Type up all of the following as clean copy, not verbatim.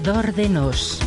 Arredor de nós.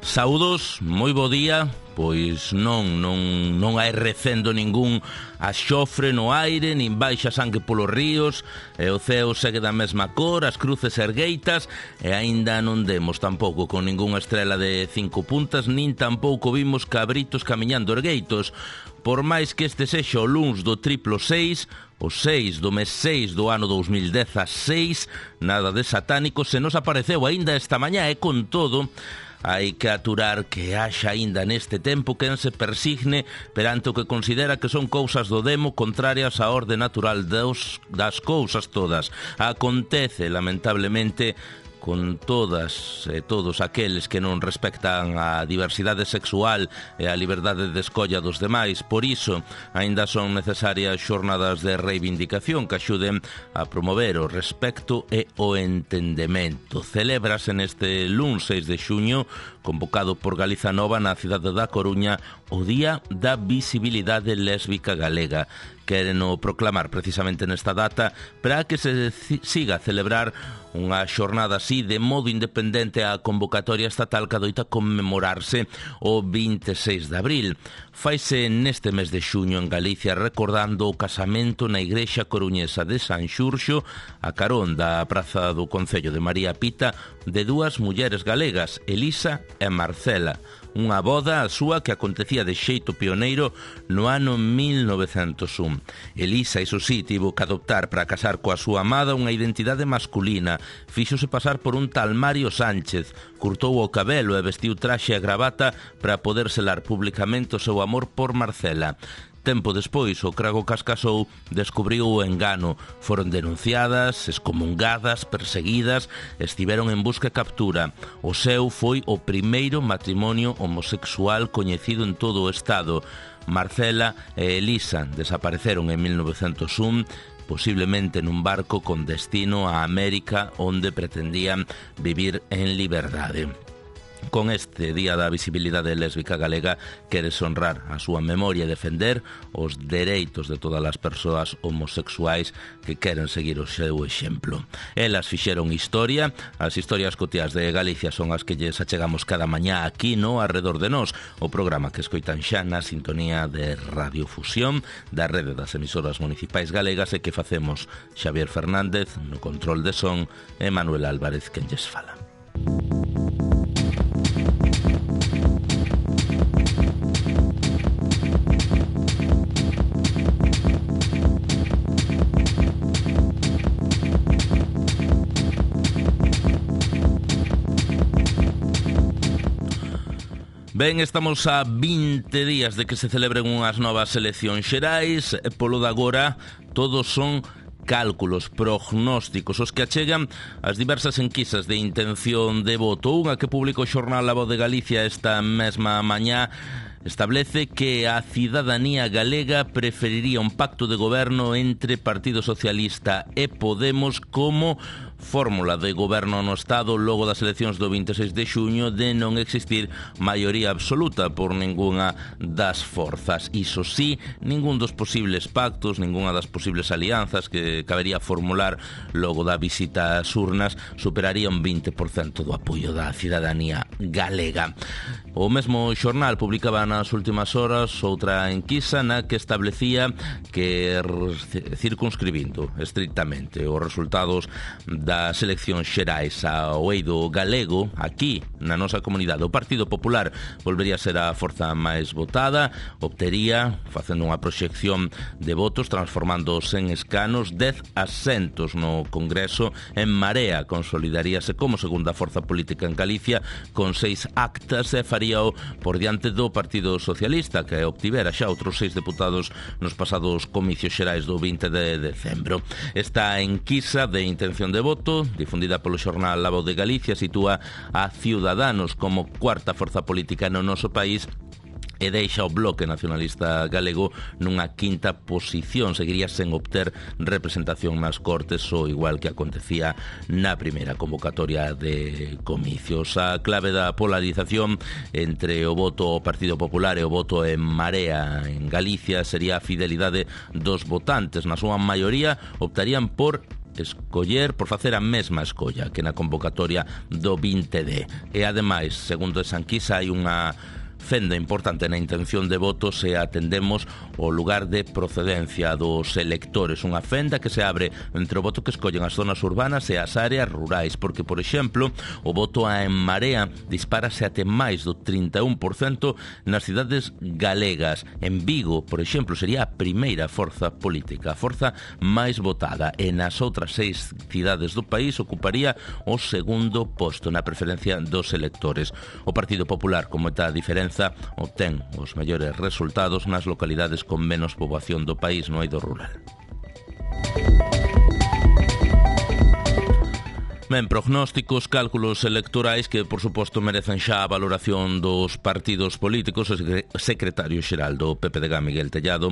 Saúdos, moi bo día. Pois non hai recendo ningún axofre no aire, nin baixa sangue polos ríos, e o ceo segue da mesma cor, as cruces ergueitas, e aínda non demos tampouco con ningunha estrela de 5 puntas, nin tampouco vimos cabritos camiñando ergueitos. Por máis que este sexa o luns do triplo 6, o 6 do mes 6 do ano 2016, nada de satánico se nos apareceu aínda esta mañá, e con todo hai que aturar que haxa aínda neste tempo quen se persigne perante o que considera que son cousas do demo contrarias á orde natural das cousas todas. Acontece, lamentablemente, con todas e todos aqueles que non respectan a diversidade sexual e a liberdade de escolla dos demais. Por iso, aínda son necesarias xornadas de reivindicación que axuden a promover o respecto e o entendemento. Celébrase neste luns 6 de xuño, convocado por Galiza Nova na cidade da Coruña, o Día da Visibilidade Lésbica Galega. Queren proclamar precisamente nesta data para que se siga a celebrar unha xornada así de modo independente á convocatoria estatal que adoita conmemorarse o 26 de abril. Faise neste mes de xuño en Galicia recordando o casamento na igrexa coruñesa de San Xurxo a carón da praza do Concello de María Pita de dúas mulleres galegas, Elisa e Marcela. Unha boda a súa que acontecía de xeito pioneiro no ano 1901. Elisa, iso sí, tivo que adoptar para casar coa súa amada unha identidade masculina. Fíxose pasar por un tal Mario Sánchez, curtou o cabelo e vestiu traxe e gravata para poder selar publicamente o seu amor por Marcela. Tempo despois, o crago que as casou descubriu o engano. Foron denunciadas, excomungadas, perseguidas, estiveron en busca e captura. O seu foi o primeiro matrimonio homosexual coñecido en todo o Estado. Marcela e Elisa desapareceron en 1901, posiblemente nun barco con destino a América, onde pretendían vivir en liberdade. Con este Día da Visibilidade Lésbica Galega queres honrar a súa memoria e defender os dereitos de todas as persoas homosexuais que queren seguir o seu exemplo. Elas fixeron historia, as historias cotiás de Galicia son as que lles achegamos cada mañá aquí no Arredor de Nós, o programa que escoitan xa na sintonía de Radiofusión da rede das emisoras municipais galegas e que facemos Xavier Fernández no control de son e Manuel Álvarez quen lles fala. Ben, estamos a 20 días de que se celebren unhas novas eleccións xerais e polo de agora todos son cálculos, prognósticos, os que achegan as diversas enquisas de intención de voto. Unha que publicou o xornal La Voz de Galicia esta mesma mañá establece que a cidadanía galega preferiría un pacto de goberno entre Partido Socialista e Podemos como fórmula de goberno no Estado logo das eleccións do 26 de xuño de non existir maioría absoluta por ningunha das forzas. Iso sí, ningún dos posibles pactos, ninguna das posibles alianzas que cabería formular logo da visita ás urnas superaría un 20% do apoio da cidadanía galega. O mesmo xornal publicaba nas últimas horas outra enquisa na que establecía que circunscribindo estrictamente os resultados das eleccións xerais ao eido galego, aquí na nosa comunidade, o Partido Popular volvería a ser a forza máis votada, obtería, facendo unha proxección de votos, transformándose en escanos, 10 asentos no Congreso. En Marea consolidaríase como segunda forza política en Galicia con 6 actas e faríao por diante do Partido Socialista, que obtivera xa outros 6 deputados nos pasados comicios xerais do 20 de decembro. Esta enquisa de intención de voto, difundida polo xornal La Voz de Galicia, sitúa a Ciudadanos como cuarta forza política no noso país e deixa o Bloque Nacionalista Galego nunha quinta posición. Seguiría sen obter representación nas Cortes, o igual que acontecía na primeira convocatoria de comicios. A clave da polarización entre o voto ao Partido Popular e o voto en Marea en Galicia sería a fidelidade dos votantes. Na súa maioría optarían por facer a mesma escolla que na convocatoria do 20D. E ademais, segundo esa enquisa, hai unha fenda importante na intención de voto se atendemos o lugar de procedencia dos electores, unha fenda que se abre entre o voto que escollen as zonas urbanas e as áreas rurais, porque, por exemplo, o voto En Marea dispárase até máis do 31% nas cidades galegas. En Vigo, por exemplo, sería a primeira forza política, a forza máis votada, e nas outras 6 cidades do país ocuparía o segundo posto na preferencia dos electores. O Partido Popular, como está a diferenza, obtén os mellores resultados nas localidades con menos poboación do país no eido rural. Ben, prognósticos, cálculos electorais que, por suposto, merecen xa a valoración dos partidos políticos. O secretario xeral do PPDG, Miguel Tellado,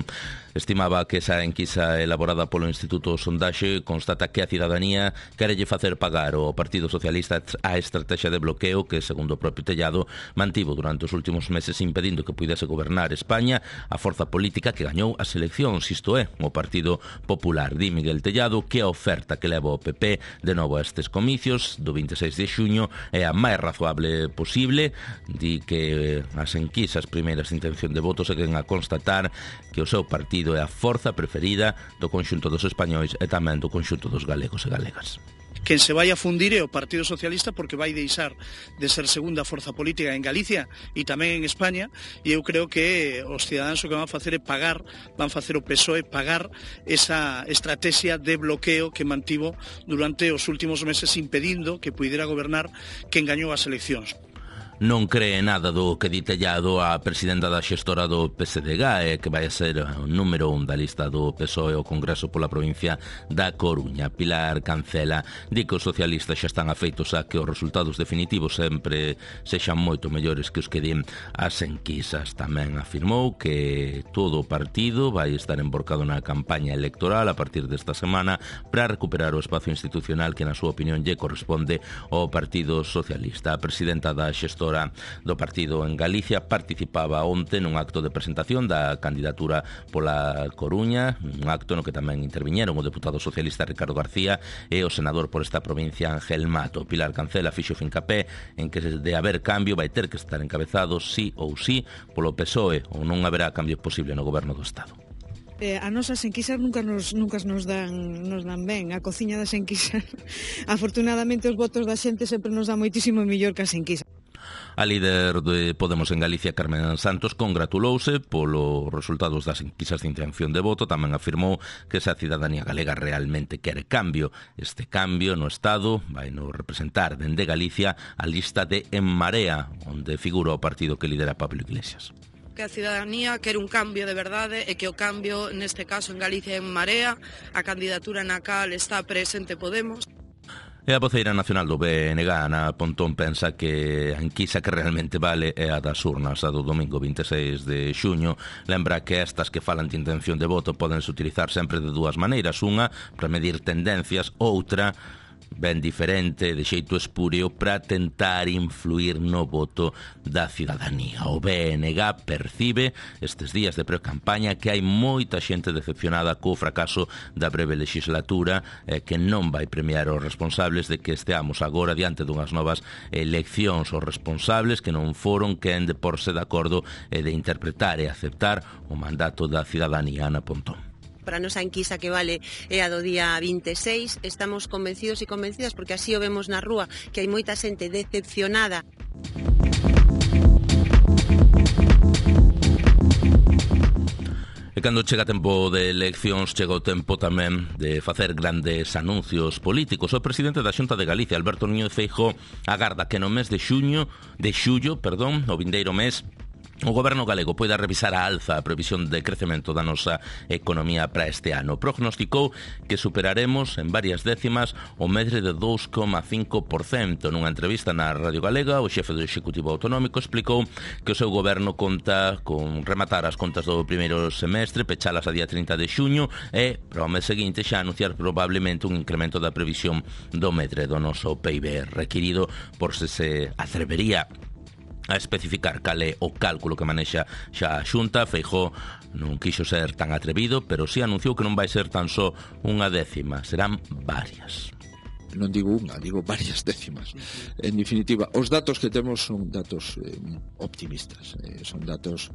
estimaba que esa enquisa elaborada polo Instituto Sondaxe constata que a cidadanía querelle facer pagar ao Partido Socialista a estrategia de bloqueo que, segundo o propio Tellado, mantivo durante os últimos meses impedindo que puidese gobernar España a forza política que gañou as eleccións, isto é, o Partido Popular. Di Miguel Tellado que a oferta que leva o PP de novo a estes comicios do 26 de xuño é a máis razoable posible. Di que as enquisas primeiras de intención de voto seguen a constatar que o seu partido é a forza preferida do conxunto dos españois e tamén do conxunto dos galegos e galegas. Quen se vai a fundir é o Partido Socialista, porque vai deixar de ser segunda forza política en Galicia e tamén en España, e eu creo que os cidadáns o que van a facer é pagar, van facer o PSOE pagar esa estrategia de bloqueo que mantivo durante os últimos meses impedindo que puidera gobernar quen gañou as eleccións. Non cree nada do que di Tellado a presidenta da xestora do PSDG, que vai a ser o número 1 da lista do PSOE ao Congreso pola provincia da Coruña. Pilar Cancela di que os socialistas xa están afeitos a que os resultados definitivos sempre sexan moito mellores que os que din as enquisas. Tamén afirmou que todo o partido vai estar emborcado na campaña electoral a partir desta semana para recuperar o espazo institucional que, na súa opinión, lle corresponde ao Partido Socialista. A presidenta da xestora do partido en Galicia participaba onte nun acto de presentación da candidatura pola Coruña, un acto no que tamén interviñeron o deputado socialista Ricardo García e o senador por esta provincia Ángel Mato. Pilar Cancela fixo fincapé en que de haber cambio vai ter que estar encabezado sí ou sí polo PSOE ou non haberá cambio posible no goberno do Estado. A nosas enquisas nunca nos dan ben. A cociña das enquisas, afortunadamente, os votos da xente sempre nos dá moitísimo mellor que as enquisas. A líder de Podemos en Galicia, Carmen Santos, congratulouse polos resultados das enquisas de intención de voto. Tamén afirmou que esa cidadanía galega realmente quere cambio. Este cambio no Estado vai nos representar dende Galicia a lista de En Marea, onde figura o partido que lidera Pablo Iglesias. Que a cidadanía quere un cambio de verdade e que o cambio, neste caso en Galicia, En Marea, a candidatura na cal está presente Podemos. E a voceira nacional do BNG, Ana Pontón, pensa que a enquisa que realmente vale é a das urnas, a do domingo 26 de xuño. Lembra que estas que falan de intención de voto podense utilizar sempre de dúas maneiras. Unha, para medir tendencias, outra, ben diferente, de xeito espúreo, para tentar influir no voto da cidadanía. O BNG percibe estes días de pre-campaña que hai moita xente decepcionada co fracaso da breve legislatura, que non vai premiar os responsables de que esteamos agora diante dunhas novas eleccións. Os responsables que non foron quen de porse de acordo e de interpretar e aceptar o mandato da cidadanía. Ana Pontón. Para a nosa enquisa que vale é a do día 26, estamos convencidos e convencidas, porque así o vemos na rúa, que hai moita xente decepcionada. E cando chega tempo de eleccións, chega o tempo tamén de facer grandes anuncios políticos. O presidente da Xunta de Galicia, Alberto Núñez Feijóo, agarda que no mes de xullo, o vindeiro mes, O Goberno galego poida revisar a alza a previsión de crecemento da nosa economía para este ano. Prognosticou que superaremos en varias décimas o medre de 2,5%. Nunha entrevista na Radio Galega, o xefe do Executivo Autonómico explicou que o seu goberno conta con rematar as contas do primeiro semestre, pechalas a día 30 de xuño e, para o mes seguinte, xa anunciar probablemente un incremento da previsión do medre do noso PIB requirido por se atrevería a especificar cal é o cálculo que manexa xa a Xunta. Feijóo non quixo ser tan atrevido, pero si anunciou que non vai ser tan só unha décima, serán varias. Non digo unha, digo varias décimas. En definitiva, os datos que temos son datos optimistas, son datos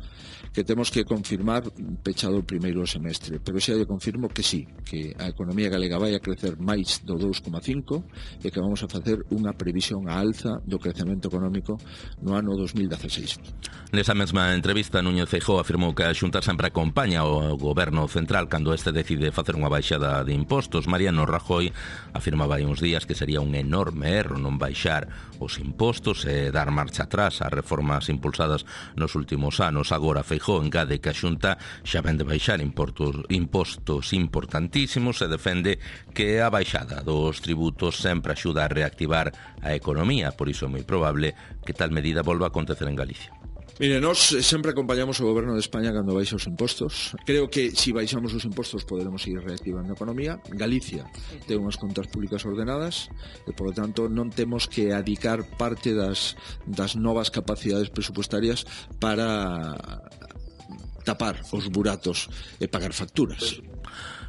que temos que confirmar pechado o primeiro semestre, pero xa lle confirmo que sí, que a economía galega vai a crecer máis do 2,5 e que vamos a facer unha previsión a alza do crecemento económico no ano 2016. Nesa mesma entrevista, Núñez Feijóo afirmou que a Xunta sempre acompaña o goberno central cando este decide facer unha baixada de impostos. Mariano Rajoy afirmaba hai uns días que sería un enorme erro non baixar os impostos e dar marcha atrás ás reformas impulsadas nos últimos anos. Agora Feijóo engade que a Xunta xa vende baixar impostos importantísimos e defende que a baixada dos tributos sempre axuda a reactivar a economía, por iso é moi probable que tal medida volva a acontecer en Galicia. Mire, nós sempre acompañamos o goberno de España cando baixa os impostos. Creo que se baixamos os impostos poderemos ir reactivando a economía. Galicia ten unhas contas públicas ordenadas e, por lo tanto, non temos que adicar parte das novas capacidades presupuestarias para tapar os buratos e pagar facturas.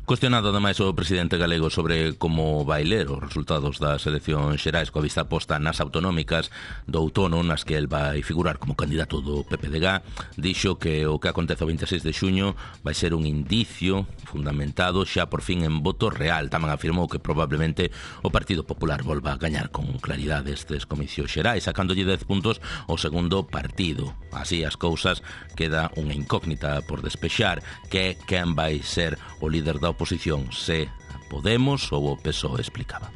Cuestionado ademais o presidente galego sobre como vai ler os resultados das eleccións xerais coa vista posta nas autonómicas do outono nas que el vai figurar como candidato do PPDG, dixo que o que acontece o 26 de xuño vai ser un indicio fundamentado xa por fin en voto real. Tamén afirmou que probablemente o Partido Popular volva a gañar con claridade estes comicios xerais, sacándolle 10 puntos ao segundo partido. Así as cousas, queda unha incógnita por despexar, que quen vai ser o líder da oposición, se Podemos ou o PSOE, explicaba.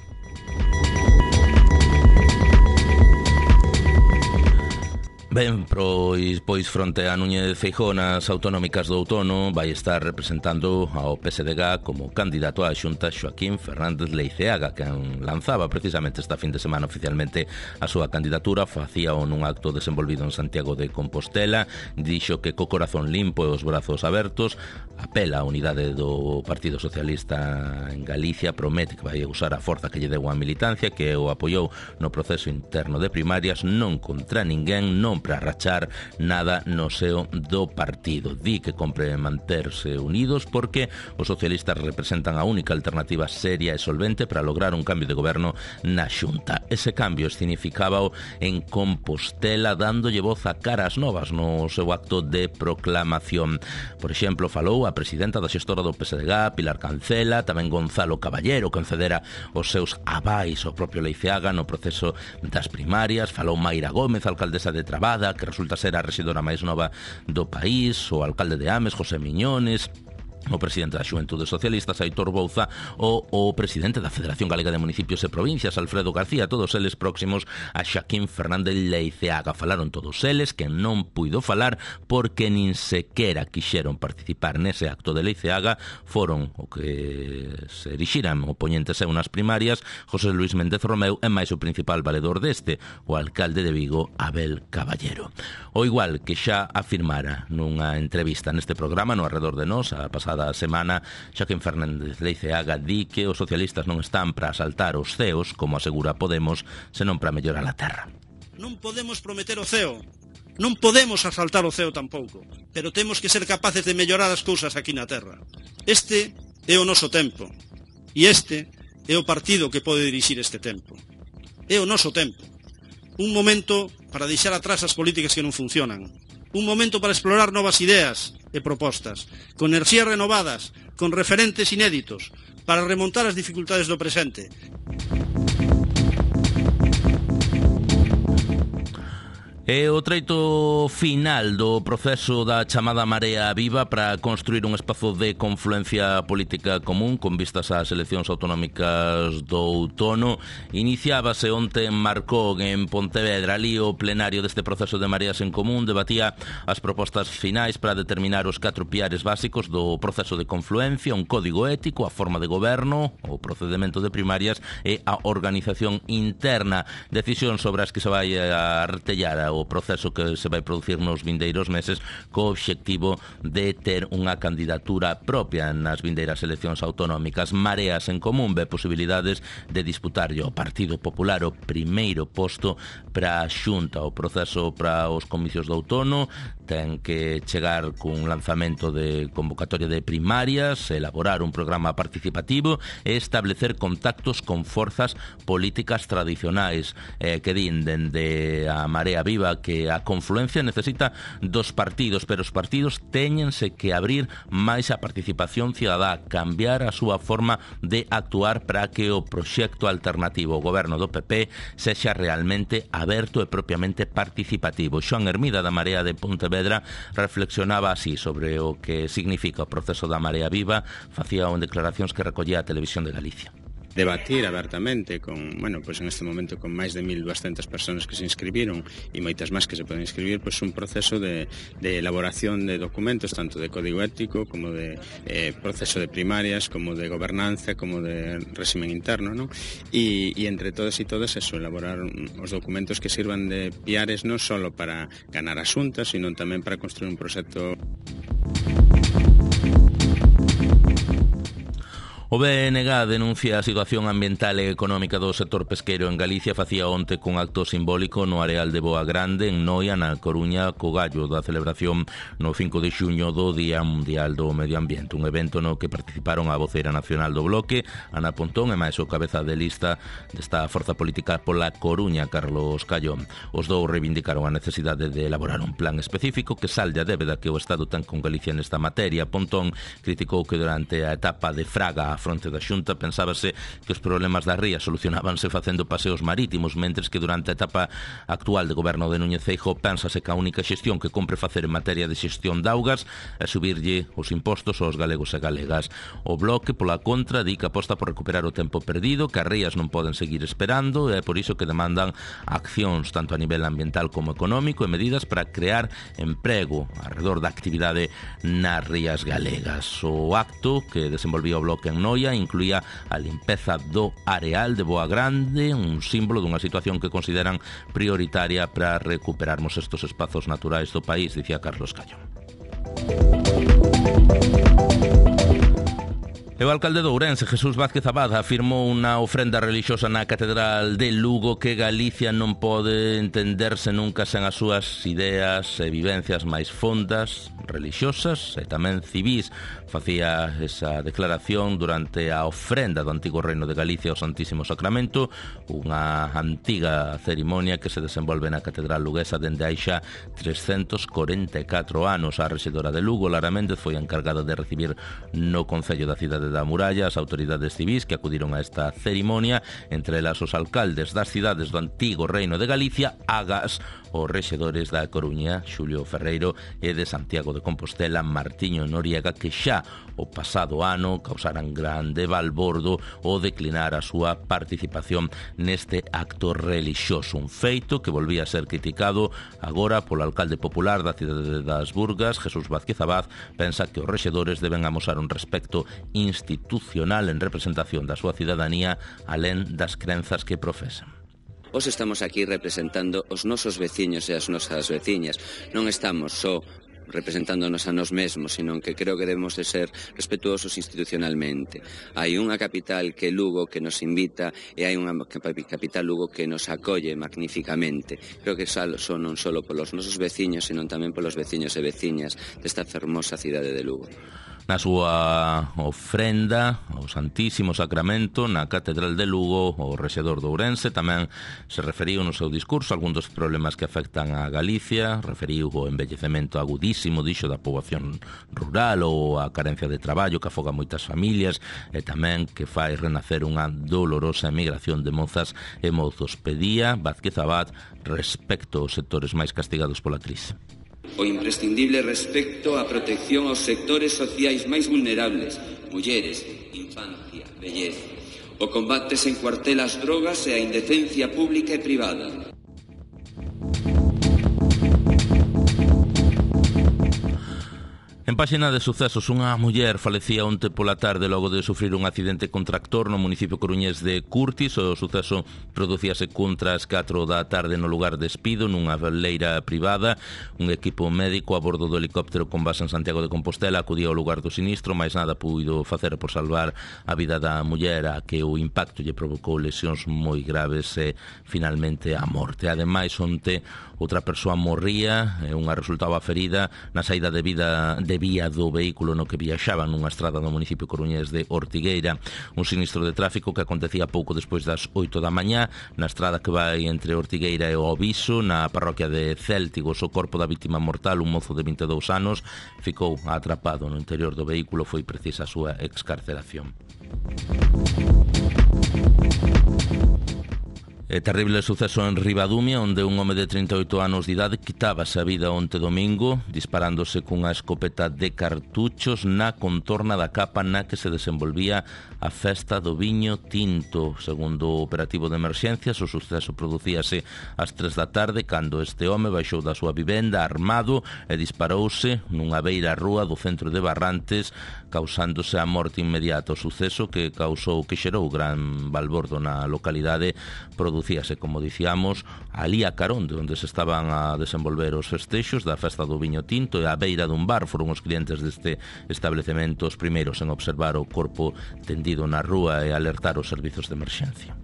Ben, pois fronte a Núñez Feijóo nas autonómicas do outono vai estar representando ao PSDG como candidato á Xunta Joaquín Fernández Leiceaga, que lanzaba precisamente esta fin de semana oficialmente a súa candidatura. Facíao nun acto desenvolvido en Santiago de Compostela. Dixo que co corazón limpo e os brazos abertos apela á unidade do Partido Socialista en Galicia, promete que vai usar a forza que lle deu a militancia, que o apoiou no proceso interno de primarias, non contra ninguén, non para rachar nada no seo do partido. Di que compre manterse unidos porque os socialistas representan a única alternativa seria e solvente para lograr un cambio de goberno na Xunta. Ese cambio significábao en Compostela, dándolle voz a caras novas no seu acto de proclamación. Por exemplo, falou a presidenta da xestora do PSDG, Pilar Cancela, tamén Gonzalo Caballero, que concedera os seus avais ao propio Leiceaga no proceso das primarias. Falou Mayra Gómez, alcaldesa de Trabada, que resulta ser a rexedora máis nova do país, o alcalde de Ames, José Miñones, o presidente da Xuventude Socialista, Aitor Bouza, o presidente da Federación Galega de Municipios e Provincias, Alfredo García, todos eles próximos a Joaquín Fernández Leiceaga. Falaron todos eles, que non puido falar porque nin sequera quixeron participar nese acto de Leiceaga. Foron o que se erixiran oponentes a unas primarias, José Luis Méndez Romeu, e máis o principal valedor deste, o alcalde de Vigo, Abel Caballero. O igual que xa afirmara nunha entrevista neste programa, no Arredor de Nós, a pasada semana, Joaquín Fernández Leiceaga di que os socialistas non están para asaltar os ceos, como asegura Podemos, senón para mellorar a terra. Non podemos prometer o ceo, non podemos asaltar o ceo tampouco, pero temos que ser capaces de mellorar as cousas aquí na terra. Este é o noso tempo, e este é o partido que pode dirixir este tempo. É o noso tempo. Un momento para deixar atrás as políticas que non funcionan. Un momento para explorar novas ideas e propostas, con enerxías renovadas, con referentes inéditos, para remontar as dificultades do presente. É o treito final do proceso da chamada Marea Viva para construir un espazo de confluencia política común con vistas ás eleccións autonómicas do outono. Iniciábase onte en Marcón, en Pontevedra. Ali o plenario deste proceso de Mareas en Común debatía as propostas finais para determinar os 4 piares básicos do proceso de confluencia, un código ético, a forma de goberno, o procedimento de primarias e a organización interna. Decisión sobre as que se vai a artellar o proceso que se vai producir nos vindeiros meses co obxectivo de ter unha candidatura propia nas vindeiras eleccións autonómicas. Mareas en Común ve posibilidades de disputarlle ao Partido Popular o primeiro posto para a Xunta. O proceso para os comicios do outono ten que chegar cun lanzamento de convocatoria de primarias, elaborar un programa participativo e establecer contactos con forzas políticas tradicionais que din dende a Marea Viva que a confluencia necesita dos partidos, pero os partidos téñense que abrir máis a participación cidadá, cambiar a súa forma de actuar para que o proxecto alternativo, o goberno do PP, sexa realmente aberto e propiamente participativo. Xoan Hermida da Marea de Pontevedra reflexionaba así sobre o que significa o proceso da Marea Viva, facía declaracións que recollía a Televisión de Galicia. Debatir abertamente con, pues en este momento con máis de 1.200 personas que se inscribiron e moitas máis que se poden inscribir, pues un proceso de elaboración de documentos, tanto de código ético como de proceso de primarias, como de gobernanza, como de régimen interno, ¿no? E entre todos e todas eso, elaborar os documentos que sirvan de piares non só para ganar as xuntas, sino tamén para construir un proxecto. O BNG denuncia a situación ambiental e económica do sector pesqueiro en Galicia. Facía onte cun acto simbólico no areal de Boa Grande, en Noia, na Coruña, co gallo da celebración no 5 de xuño do Día Mundial do Medio Ambiente, un evento no que participaron a voceira nacional do Bloque, Ana Pontón, e máis o cabeza de lista desta forza política pola Coruña, Carlos Callón. Os dous reivindicaron a necesidade de elaborar un plan específico que salde a débeda que o Estado ten con Galicia nesta materia. Pontón criticou que durante a etapa de Fraga á fronte da Xunta pensábase que os problemas da ría solucionábanse facendo paseos marítimos, mentres que durante a etapa actual de goberno de Núñez Feijóo pénsase que a única xestión que compre facer en materia de xestión de augas é subirlle os impostos aos galegos e galegas. O Bloque, pola contra, di que aposta por recuperar o tempo perdido, que as rías non poden seguir esperando, e é por iso que demandan accións tanto a nivel ambiental como económico e medidas para crear emprego alrededor da actividade nas rías galegas. O acto que desenvolvía o Bloque en Noia incluía a limpeza do areal de Boa Grande, un símbolo dunha situación que consideran prioritaria para recuperarmos estos espazos naturais do país, dicía Carlos Callón. E o alcalde de Ourense, Jesús Vázquez Abad, afirmou unha ofrenda relixiosa na Catedral de Lugo que Galicia non pode entenderse nunca sen as súas ideas e vivencias máis fondas, religiosas e tamén civís. Facía esa declaración durante a ofrenda do antigo Reino de Galicia ao Santísimo Sacramento, unha antiga cerimonia que se desenvolve na Catedral luguesa dende hai xa 344 anos. A rexedora de Lugo, Lara Méndez, foi encargada de recibir no Concello da cidade da Muralla as autoridades civís que acudiron a esta cerimonia, entre elas os alcaldes das cidades do antigo Reino de Galicia, agas os rexedores da Coruña, Xulio Ferreiro, e de Santiago de Compostela, Martiño Noriega, que xa o pasado ano causaran grande balbordo o declinar a súa participación neste acto relixioso, un feito que volvía a ser criticado agora polo alcalde popular da cidade das Burgas. Jesús Vázquez Abad pensa que os rexedores deben amosar un respecto institucional en representación da súa cidadanía alén das crenzas que profesan. Hoxe estamos aquí representando os nosos veciños e as nosas veciñas. Non estamos só representándonos a nós mesmos, sino que creo que debemos de ser respetuosos institucionalmente. Hai unha capital que Lugo que nos invita e hai unha capital Lugo que nos acolle magníficamente. Creo que son non só polos nosos veciños, sino tamén polos veciños e veciñas desta fermosa cidade de Lugo. Na súa ofrenda ao Santísimo Sacramento na Catedral de Lugo, o rexedor de Ourense tamén se referiu no seu discurso a algún dos problemas que afectan a Galicia, referiu o envellecemento agudísimo gravísimo, dixo, da poboación rural ou a carencia de traballo que afoga moitas familias e tamén que fai renacer unha dolorosa emigración de mozas e mozos. Pedía Vázquez Abad respecto aos sectores máis castigados pola crise. O imprescindible respecto á protección aos sectores sociais máis vulnerables, mulleres, infancia, vellez. O combate sen cuartel ás drogas e a indecencia pública e privada. En páxina de sucesos, unha muller falecía onte pola tarde logo de sufrir un accidente con tractor no municipio coruñés de Curtis. O suceso producíase contra as 4 da tarde no lugar de Espido, nunha leira privada. Un equipo médico a bordo do helicóptero con base en Santiago de Compostela acudía ao lugar do sinistro, mais nada puido facer por salvar a vida da muller, a que o impacto lle provocou lesións moi graves e finalmente a morte. Ademais, onte outra persoa morría e unha resultaba ferida na saída de vía do vehículo no que viaxaban nunha estrada no municipio coruñés de Ortigueira. Un sinistro de tráfico que acontecía pouco despois das 8 da mañá na estrada que vai entre Ortigueira e o Oviso, na parroquia de Céltigos. O corpo da vítima mortal, un mozo de 22 anos, ficou atrapado no interior do vehículo. Foi precisa a súa excarceración. Terrible suceso en Ribadumia, onde un home de 38 anos de idade quitábase a vida onte domingo disparándose cunha escopeta de cartuchos na contorna da capa na que se desenvolvía a festa do viño tinto. Segundo o operativo de emerxencias, o suceso producíase ás 3 da tarde cando este home baixou da súa vivenda armado e disparouse nunha beira rúa do centro de Barrantes, causándose a morte inmediata. O suceso que xerou gran balbordo na localidade producíase, como dicíamos, alí a carón de onde se estaban a desenvolver os festexos da festa do viño tinto e a beira dun bar. Foron os clientes deste establecemento os primeiros en observar o corpo tendido na rúa e alertar os servizos de emerxencia.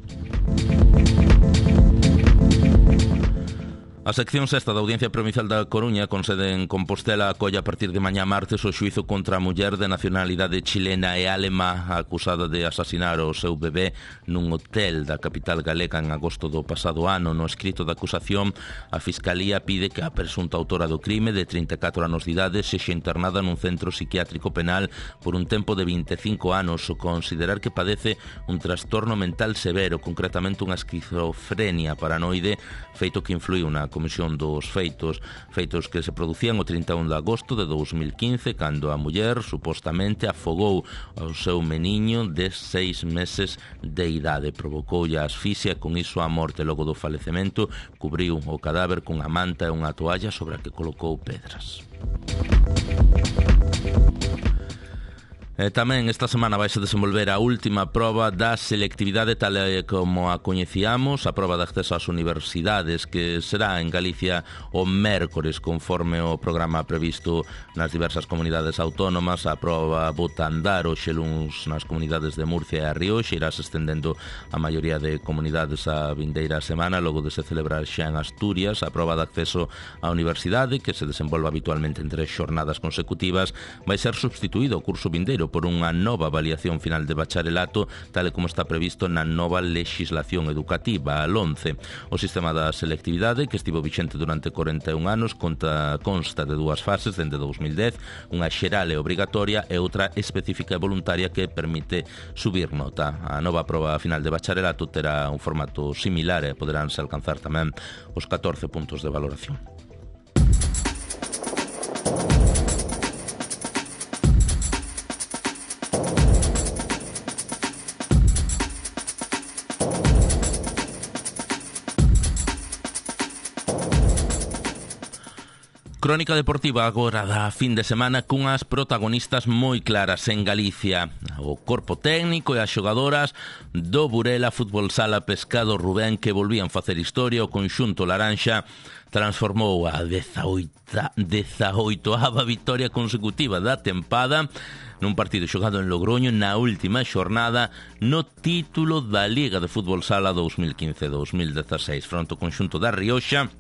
A sección sexta da Audiencia Provincial da Coruña, con sede en Compostela, acolle a partir de mañá martes o xuízo contra a muller de nacionalidade chilena e alemá acusada de asasinar o seu bebé nun hotel da capital galega en agosto do pasado ano. No escrito da acusación, a Fiscalía pide que a presunta autora do crime, de 34 anos de idade, sexa internada nun centro psiquiátrico penal por un tempo de 25 anos, o considerar que padece un trastorno mental severo, concretamente unha esquizofrenia paranoide, feito que influiu na comisión dos feitos que se producían o 31 de agosto de 2015, cando a muller supostamente afogou ao seu meniño de 6 meses de idade. Provocoulle a asfixia, con iso a morte. Logo do falecemento, cubriu o cadáver cunha manta e unha toalla sobre a que colocou pedras. Tamén esta semana vai se desenvolver a última proba da selectividade tal como a coñecíamos, a proba de acceso ás universidades, que será en Galicia o mércores conforme o programa previsto nas diversas comunidades autónomas. A proba bota a andar hoxe luns nas comunidades de Murcia e a Rioxa, irás estendendo a maioría de comunidades a vindeira semana, logo de se celebrar xa en Asturias. A proba de acceso á universidade, que se desenvolve habitualmente en 3 xornadas consecutivas, vai ser substituído o curso vindeiro por unha nova avaliación final de bacharelato, tal e como está previsto na nova legislación educativa, a LONCE. O sistema da selectividade, que estivo vixente durante 41 anos, consta de 2 fases dende 2010, unha xeral e obrigatoria e outra específica e voluntaria que permite subir nota. A nova proba final de bacharelato terá un formato similar e poderánse alcanzar tamén os 14 puntos de valoración. Crónica deportiva agora da fin de semana cunhas protagonistas moi claras en Galicia. O corpo técnico e as xogadoras do Burela Fútbol Sala Pescado Rubén, que volvían facer historia. O conxunto laranxa transformou a 18ª victoria consecutiva da tempada nun partido xogado en Logroño na última xornada no título da Liga de Fútbol Sala 2015-2016 fronte ao conxunto da Rioxa,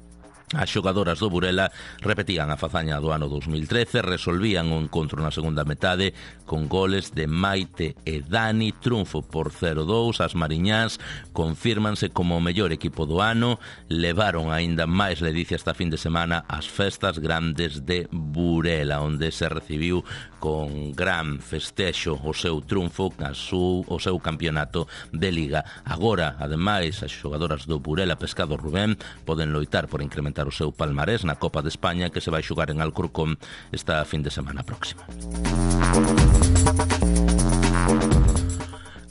As xogadoras do Burela repetían a fazaña do ano 2013, resolvían o encontro na segunda metade con goles de Maite e Dani, triunfo por 0-2. As mariñás confírmanse como o mellor equipo do ano, levaron aínda máis ledicia esta fin de semana as festas grandes de Burela, onde se recibiu con gran festexo o seu triunfo, o seu campeonato de Liga. Agora, ademais, as xogadoras do Burela Pescado Rubén poden loitar por incrementar o seu palmarés na Copa de España, que se vai xogar en Alcorcón esta fin de semana próxima.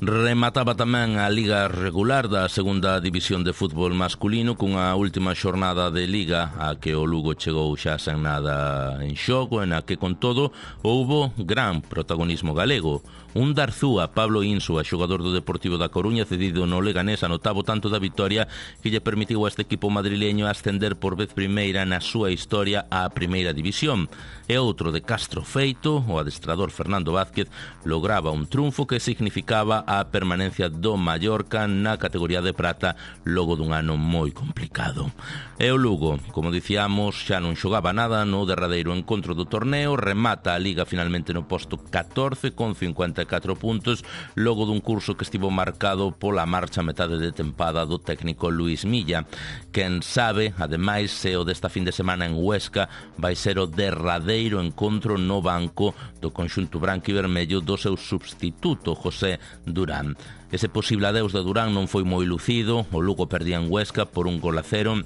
Remataba tamén a Liga regular da segunda división de fútbol masculino cunha última xornada de Liga a que o Lugo chegou xa sen nada en xogo, en a que con todo houbo gran protagonismo galego. Un Darzúa, Pablo Insua, xogador do Deportivo da Coruña, cedido no Leganés, anotaba o tanto da vitoria que lle permitiu a este equipo madrileño ascender por vez primeira na súa historia á primeira división. E outro de Castro Feito, o adestrador Fernando Vázquez, lograba un triunfo que significaba a permanencia do Mallorca na categoría de prata logo dun ano moi complicado. E o Lugo, como dicíamos, xa non xogaba nada no derradeiro encontro do torneo, remata a Liga finalmente no posto 14 con 54 puntos, logo dun curso que estivo marcado pola marcha a metade de tempada do técnico Luis Milla. Quen sabe, ademais, se o desta fin de semana en Huesca vai ser o derradeiro encontro no banco do conxunto branco e vermello do seu substituto, José Durán. Ese posible adeus de Durán non foi moi lucido, o Lugo perdía en Huesca por 1-0,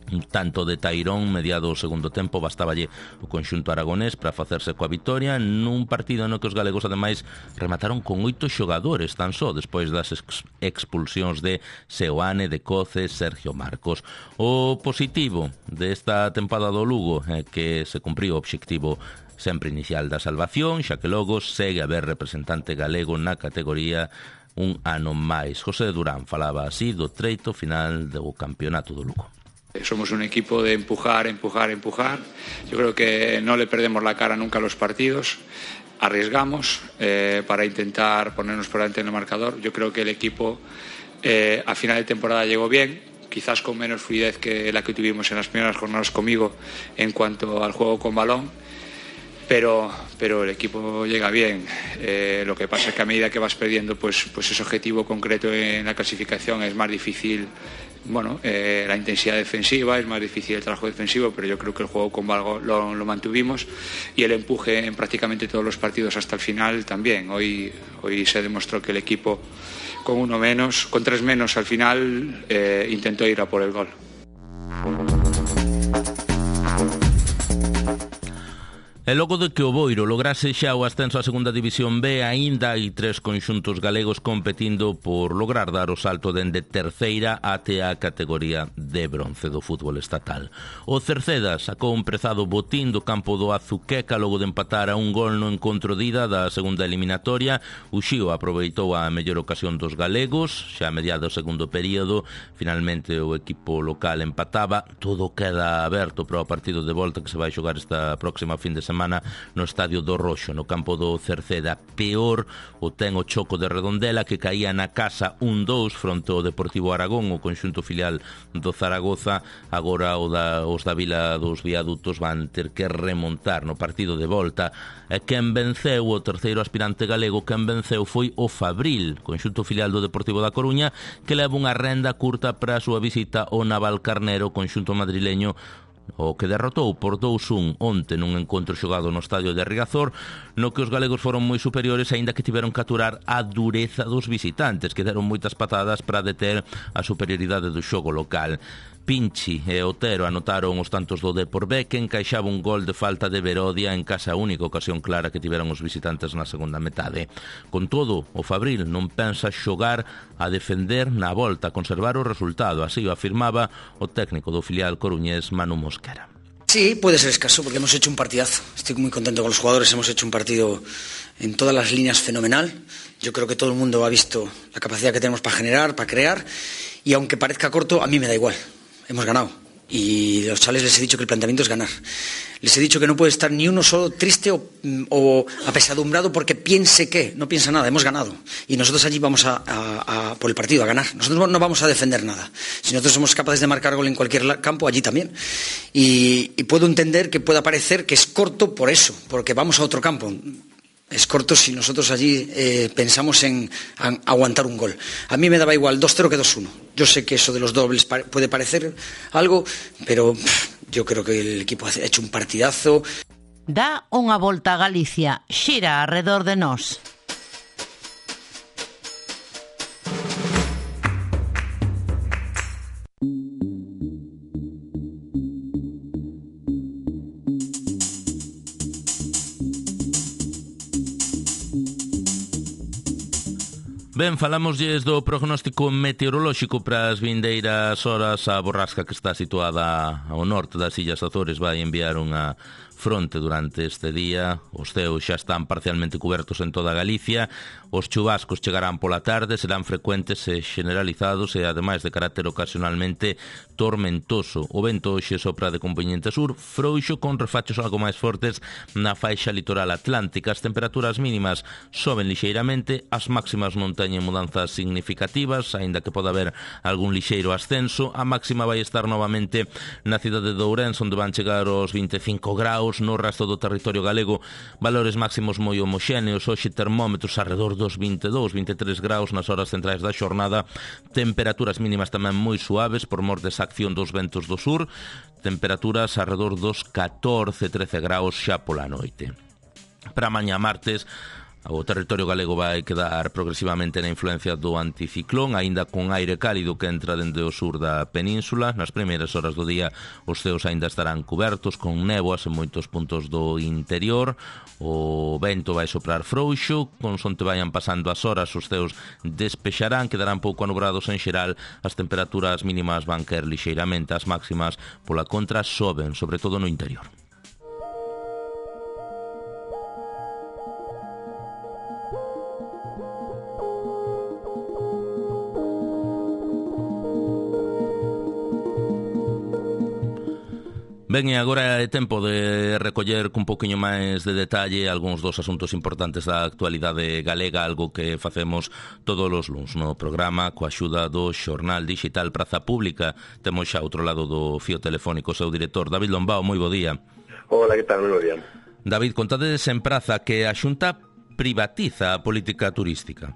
un tanto de Tairón mediado o segundo tempo, bastaballe o conxunto aragonés para facerse coa vitoria nun partido no que os galegos ademais remataron con 8 xogadores tan só despois das expulsións de Seoane, de Coce, Sergio Marcos. O positivo desta tempada do Lugo é que se cumpriu o obxectivo sempre inicial da salvación, xa que logo segue a haber representante galego na categoría un ano máis. José Durán falaba así do treito final do campeonato do Lugo. Somos un equipo de empujar. Yo creo que no le perdemos la cara nunca a los partidos. Arriesgamos para intentar ponernos por delante en el marcador. Yo creo que el equipo a final de temporada llegó bien, quizás con menos fluidez que la que tuvimos en las primeras jornadas conmigo en cuanto al juego con balón. Pero el equipo llega bien. Lo que pasa es que a medida que vas perdiendo, pues ese objetivo concreto en la clasificación es más difícil. Bueno, la intensidad defensiva, es más difícil el trabajo defensivo, pero yo creo que el juego con balón lo mantuvimos y el empuje en prácticamente todos los partidos hasta el final también. Hoy se demostró que el equipo con 1 menos, con 3 menos al final, intentó ir a por el gol. E logo de que o Boiro lograse xa o ascenso á segunda división B, aínda hai 3 conxuntos galegos competindo por lograr dar o salto dende terceira até a categoría de bronce do fútbol estatal. O Cerceda sacou un prezado botín do campo do Azuqueca logo de empatar a un gol no encontro de ida da segunda eliminatoria. O Xío aproveitou a mellor ocasión dos galegos, xa a mediado o segundo período, finalmente o equipo local empataba. Todo queda aberto para o partido de volta que se vai xogar esta próxima fin de semana no Estadio do Roxo, no campo do Cerceda. Peor o ten o Choco de Redondela, que caía na casa 1-2 fronte ao Deportivo Aragón, o conxunto filial do Zaragoza. Agora os da Vila dos Viadutos van ter que remontar no partido de volta. E quen venceu, o terceiro aspirante galego, quen venceu foi o Fabril, conxunto filial do Deportivo da Coruña, que leva unha renda curta para a súa visita ao Navalcarnero, conxunto madrileño, o que derrotou por 2-1 onte nun encontro xogado no estadio de Riazor, no que os galegos foron moi superiores, aínda que tiveron que aturar a dureza dos visitantes, que deron moitas patadas para deter a superioridade do xogo local. Pinchi e Otero anotaron os tantos do Depor B, que encaixaba un gol de falta de Verodia en casa, a única ocasión clara que tiveron os visitantes na segunda metade. Con todo, o Fabril non pensa xogar a defender na volta, a conservar o resultado, así o afirmaba o técnico do filial coruñés Manu Mosquera. Sí, puede ser escaso porque hemos hecho un partidazo. Estoy muy contento con los jugadores, hemos hecho un partido en todas las líneas fenomenal. Yo creo que todo el mundo ha visto la capacidad que tenemos para generar, para crear, y aunque parezca corto, a mí me da igual. Hemos ganado. Y a los chavales les he dicho que el planteamiento es ganar. Les he dicho que no puede estar ni uno solo triste o apesadumbrado porque piense que, no piensa nada, hemos ganado. Y nosotros allí vamos por el partido, a ganar. Nosotros no vamos a defender nada. Si nosotros somos capaces de marcar gol en cualquier campo, allí también. Y puedo entender que pueda parecer que es corto por eso, porque vamos a otro campo. Es corto si nosotros allí pensamos en aguantar un gol. A mí me daba igual 2-0 que 2-1. Yo sé que eso de los dobles puede parecer algo, pero yo creo que el equipo ha hecho un partidazo. Dá unha volta a Galicia, xira alrededor de nós. Ben, falámoslles do prognóstico meteorolóxico para as vindeiras horas. A borrasca que está situada ao norte das Illas Azores vai enviar unha fronte durante este día. Os ceos xa están parcialmente cobertos en toda Galicia. Os chubascos chegarán pola tarde, serán frecuentes e generalizados e, ademais de carácter ocasionalmente tormentoso. O vento hoxe sopra de compoñente sur, frouxo, con refachos algo máis fortes na faixa litoral atlántica. As temperaturas mínimas soben lixeiramente, as máximas non teñen mudanzas significativas, aínda que pode haber algún lixeiro ascenso. A máxima vai estar novamente na cidade de Ourense, onde van chegar os 25 graus. No resto do territorio galego, valores máximos moi homoxéneos. Hoxe termómetros arredor dos 22-23 graus nas horas centrais da xornada. Temperaturas mínimas tamén moi suaves por mor desa acción dos ventos do sur. Temperaturas arredor dos 14-13 graus xa pola noite. Para mañá martes, o territorio galego vai quedar progresivamente na influencia do anticiclón, aínda con aire cálido que entra dende o sur da península. Nas primeiras horas do día os ceos aínda estarán cubertos con néboas en moitos puntos do interior. O vento vai soprar frouxo, consonte vayan pasando as horas os ceos despexarán, quedarán pouco anubrados en xeral. As temperaturas mínimas van caer lixeiramente, as máximas pola contra soben, sobre todo no interior. Ben, e agora é tempo de recoller cun poquinho máis de detalle algúns dos asuntos importantes da actualidade galega, algo que facemos todos os luns no programa coa axuda do xornal digital Praza Pública. Temos xa outro lado do fío telefónico o seu director, David Lombao. Moi bo día. Hola, que tal? Moi bo día. David, contades en Praza que a Xunta privatiza a política turística.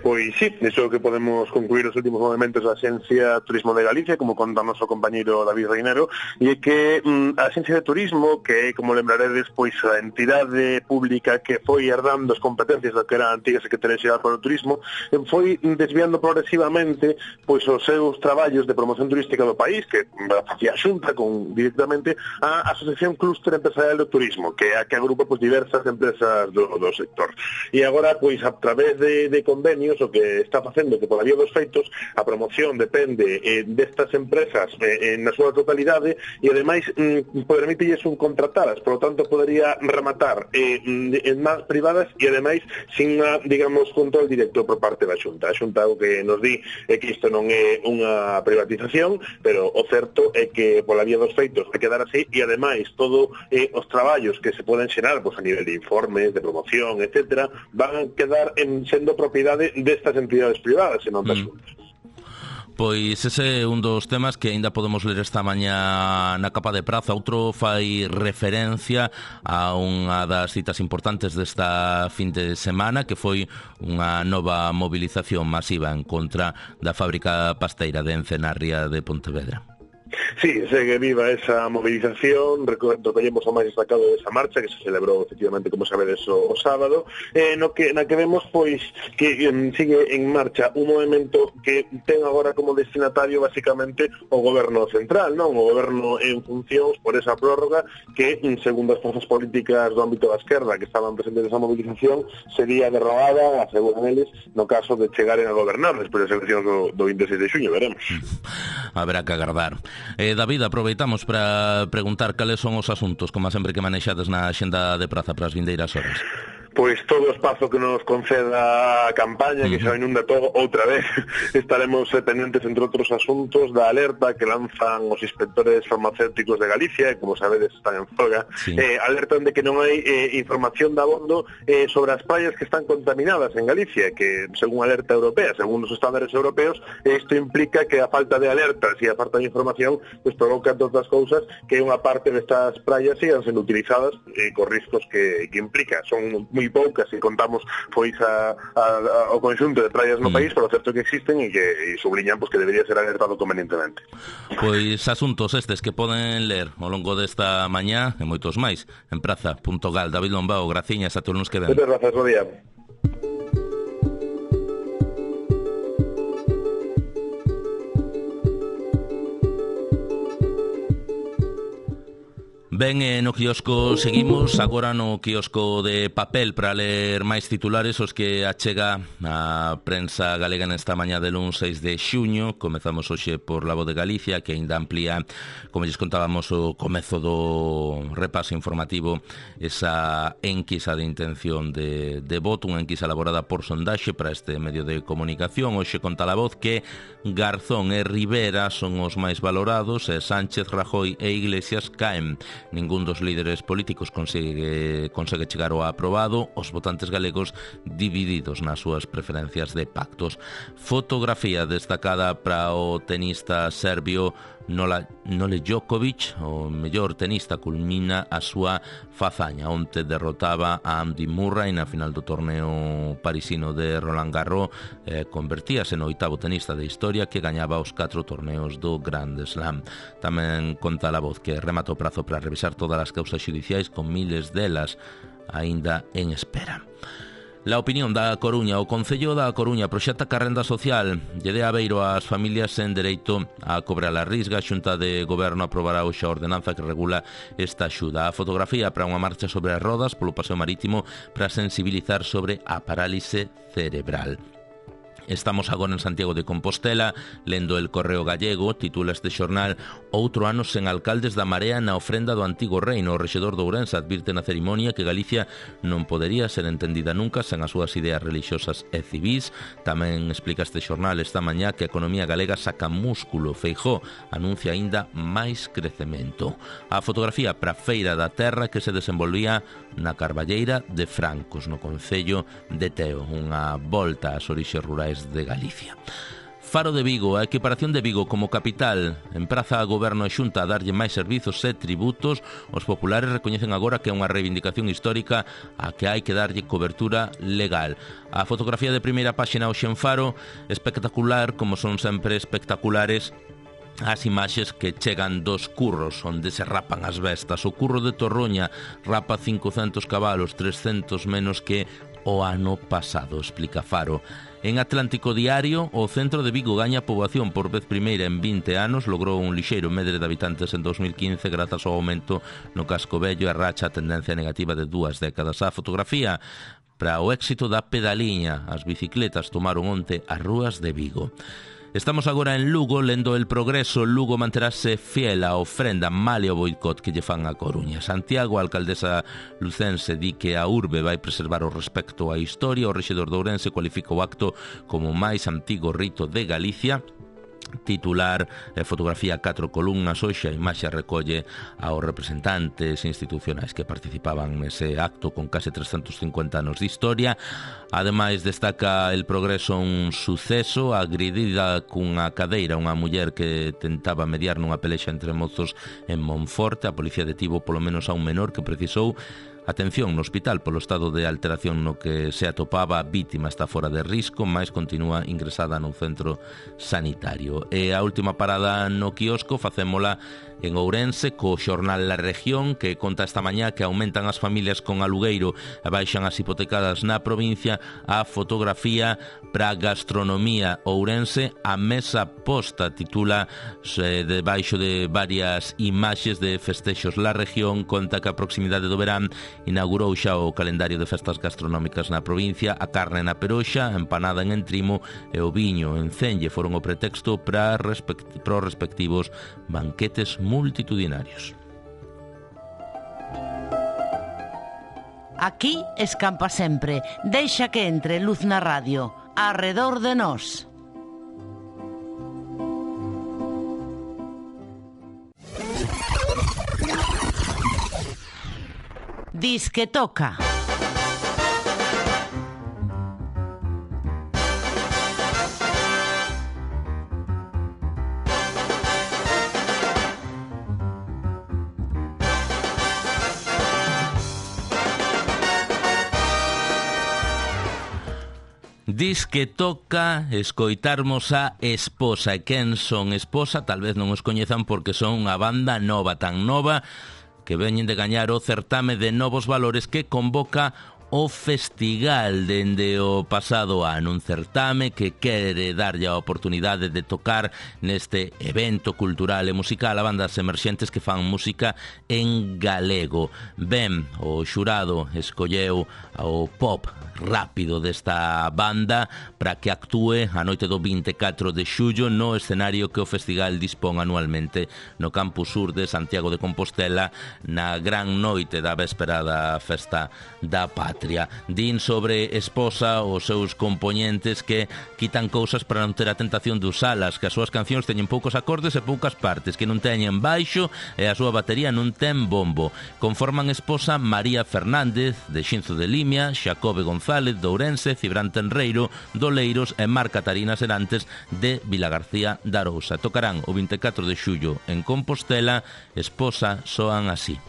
Pois sí, iso que podemos concluir os últimos movimentos da Axencia Turismo de Galicia, como conta o noso compañeiro David Reinero, e é que a Axencia de Turismo, que é, como lembraredes, pois a entidade pública que foi herdando as competencias da que era a antiga Secretaría Xeral para o Turismo, foi desviando progresivamente pois os seus traballos de promoción turística do país, que facía a Xunta directamente a Asociación Clúster Empresarial do Turismo, que é a que agrupa pois diversas empresas do sector. E agora, pois a través de convenios, o que está facendo que pola vía dos feitos a promoción depende destas empresas na súa totalidade e ademais permítelles subcontratadas, por lo tanto podería rematar en más privadas e ademais sin digamos, control directo por parte da Xunta. A Xunta o que nos di é que isto non é unha privatización, pero o certo é que pola vía dos feitos vai quedar así e ademais todo os traballos que se poden xerar pois, a nivel de informes, de promoción, etcétera, van quedar sendo propiedade destas entidades privadas e non das Xuntas. Pois ese é un dos temas que aínda podemos ler esta mañá na capa de Praza. Outro fai referencia a unha das citas importantes desta fin de semana, que foi unha nova movilización masiva en contra da fábrica pasteira de Ence na ría de Pontevedra. Sí, segue viva esa movilización, recollemos o máis destacado desa marcha que se celebrou efectivamente, como sabedes, o sábado, na que vemos pois que sigue en marcha un movimento que ten agora como destinatario basicamente o goberno central, non? O goberno en funcións por esa prórroga que, segundo as forzas políticas do ámbito da esquerda que estaban presentes nesa movilización, sería derrogada, aseguran eles, no caso de chegaren a gobernar despois das eleccións do 26 de xuño, veremos. Haberá que agardar. David, aproveitamos para preguntar cales son os asuntos, como sempre, que manexades na axenda de Praza para as vindeiras horas. pois todo o espazo que nos conceda a campaña, que xa inunda todo outra vez. Estaremos pendentes, entre outros asuntos, da alerta que lanzan os inspectores farmacéuticos de Galicia, que, como sabedes, están en folga. Alertan de que non hai información de abondo sobre as praias que están contaminadas en Galicia, que, según alerta europea, según os estándares europeos, isto implica que a falta de alertas e a falta de información pues provoca todas as cousas que unha parte destas praias sigan sendo utilizadas con riscos que implica. Son moi poucas se contamos pois ao conxunto de praias no país, pero certo que existen e que subliñan pues, que debería ser alertado convenientemente. Pois asuntos estes que poden ler ao longo desta mañá e moitos máis en praza.gal. David Lombao, graciñas, a todos nos que ven. Moitas grazas, bo día. Ben, no quiosco seguimos, agora no quiosco de papel para ler máis titulares os que achega a prensa galega nesta mañá del 6 de xuño. Comezamos hoxe por La Voz de Galicia, que ainda amplía, como lles contábamos, o comezo do repaso informativo, esa enquisa de intención de voto, unha enquisa elaborada por sondaxe para este medio de comunicación. Hoxe conta La Voz que Garzón e Rivera son os máis valorados e Sánchez, Rajoy e Iglesias caen. Ningún dos líderes políticos consegue chegar ao aprobado, os votantes galegos divididos nas súas preferencias de pactos. Fotografía destacada para o tenista serbio Nole Djokovic, o mellor tenista, culmina a súa fazaña. Onte derrotaba a Andy Murray na final do torneo parisino de Roland Garros, convertíase no 8º tenista de historia que gañaba os 4 torneos do Grand Slam. Tamén conta La Voz que remata o prazo para revisar todas as causas xudiciais, con miles delas aínda en espera. La Opinión da Coruña. O Concello da Coruña proxecta que a renda social lle dé abeiro ás familias sen dereito a cobrar a risga. A Xunta de Goberno aprobará hoxe a ordenanza que regula esta axuda. A fotografía para unha marcha sobre as rodas polo paseo marítimo para sensibilizar sobre a parálise cerebral. Estamos agora en Santiago de Compostela, lendo El Correo Gallego. Titula este xornal: Outro ano sen alcaldes da Marea na ofrenda do antigo reino. O rexedor de Ourense advirte na cerimonia que Galicia non podería ser entendida nunca sen as súas ideas religiosas e civís. Tamén explica este xornal esta mañá que a economía galega saca músculo. Feijóo anuncia aínda máis crecemento. A fotografía para Feira da Terra que se desenvolvía na Carballeira de Francos, no concello de Teo. Unha volta ás orixes rurais de Galicia. Faro de Vigo. A equiparación de Vigo como capital empraza a Goberno e Xunta a darlle máis servizos e tributos. Os populares recoñecen agora que é unha reivindicación histórica a que hai que darlle cobertura legal. A fotografía de primeira páxina hoxe en Faro, espectacular, como son sempre espectaculares as imaxes que chegan dos curros onde se rapan as bestas. O curro de Torroña rapa 500 cabalos, 300 menos que o ano pasado, explica Faro. En Atlántico Diario, o centro de Vigo gaña poboación por vez primeira en 20 anos, logrou un lixeiro medre de habitantes en 2015 grazas ao aumento no casco vello e racha a tendencia negativa de 2 décadas. A fotografía para o éxito da pedaliña. As bicicletas tomaron onte as rúas de Vigo. Estamos agora en Lugo, lendo El Progreso. Lugo manterase fiel á ofrenda male o boicot que lle fan a Coruña. Santiago, a alcaldesa lucense, di que a urbe vai preservar o respecto á historia. O rexedor de Ourense cualifica o acto como o máis antigo rito de Galicia. Titular, fotografía 4 columnas. Hoxe a imaxe recolle aos representantes institucionais que participaban nese acto con case 350 anos de historia. Ademais, destaca El Progreso un suceso: agredida cunha cadeira unha muller que tentaba mediar nunha pelexa entre mozos en Monforte. A policía detivo polo menos a un menor que precisou atención no hospital polo estado de alteración no que se atopaba. A vítima está fora de risco, mais continúa ingresada no centro sanitario. E a última parada no quiosco facémola en Ourense co xornal La Región, que conta esta mañá que aumentan as familias con alugueiro e baixan as hipotecadas na provincia. A fotografía para gastronomía Ourense, a mesa posta, titula debaixo de varias imaxes de festexos. La Región conta que a proximidade do verán inaugurou xa o calendario de festas gastronómicas na provincia. A carne na Peroxa, empanada en Entrimo e o viño en Cenlle foron o pretexto para os respectivos banquetes multitudinarios. Aquí escampa sempre. Deixa que entre luz na radio. Arredor de nós. Disque toca. Dis que toca escoitarmos a Esposa. E quen son Esposa? Tal vez non os coñezan porque son unha banda nova, tan nova que veñen de gañar o certame de Novos Valores que convoca o Festigal dende o pasado ano, un certame que quere darlle a oportunidade de tocar neste evento cultural e musical a bandas emerxentes que fan música en galego. Ben, o xurado escolleu o pop rápido desta banda para que actúe a noite do 24 de xullo no escenario que o festival dispón anualmente no Campus Sur de Santiago de Compostela na gran noite da véspera da Festa da Patria. Din sobre Esposa os seus compoñentes que quitan cousas para non ter a tentación de usalas, que as súas cancións teñen poucos acordes e poucas partes, que non teñen baixo e a súa batería non ten bombo. Conforman Esposa María Fernández de Xinzo de Limia, Xacobe González de Ourense, Cibrán Tenreiro do Leiros e Mar Catarina Serantes de Vilagarcía da Arousa. Tocarán o 24 de xullo en Compostela. Esposa soan así.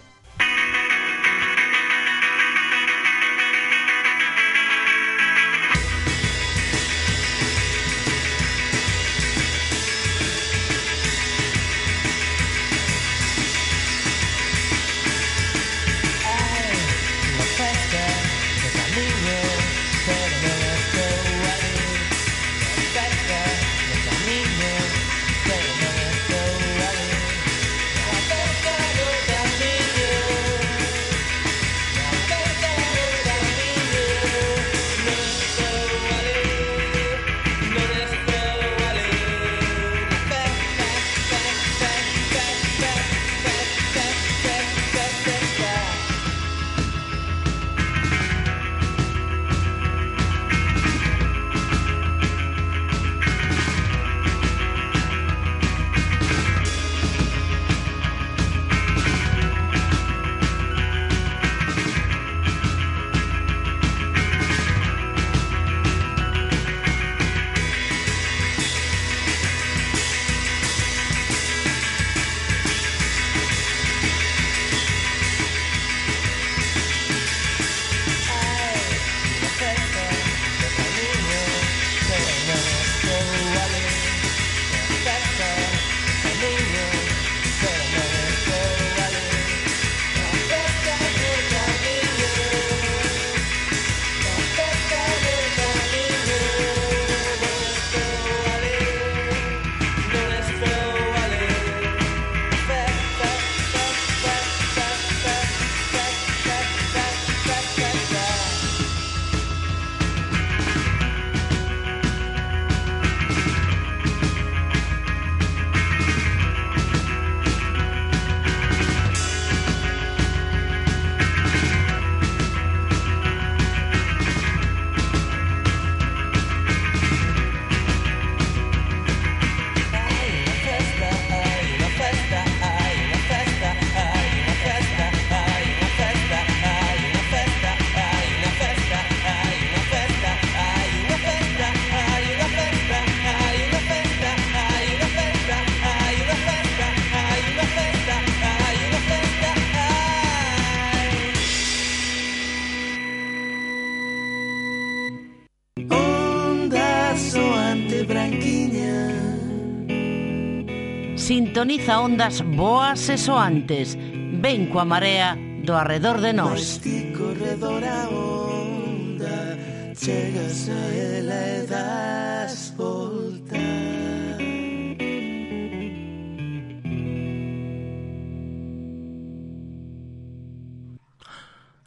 Sintoniza ondas boas e soantes. Ven coa marea do arredor de nós. Corredor a onda, chegas a ela e das volta.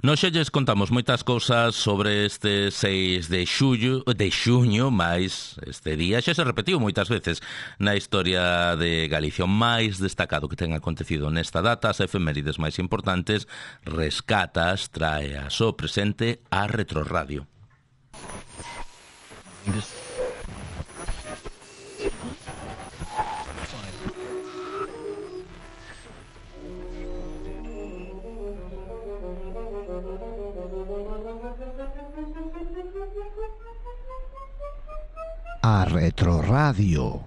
Nos xa lles contamos moitas cousas sobre este 6 de xuño, máis este día xa se repetiu moitas veces na historia de Galicia. O máis destacado que ten acontecido nesta data, as efemérides máis importantes, rescatas, traeas o presente a Retroradio. A Retroradio.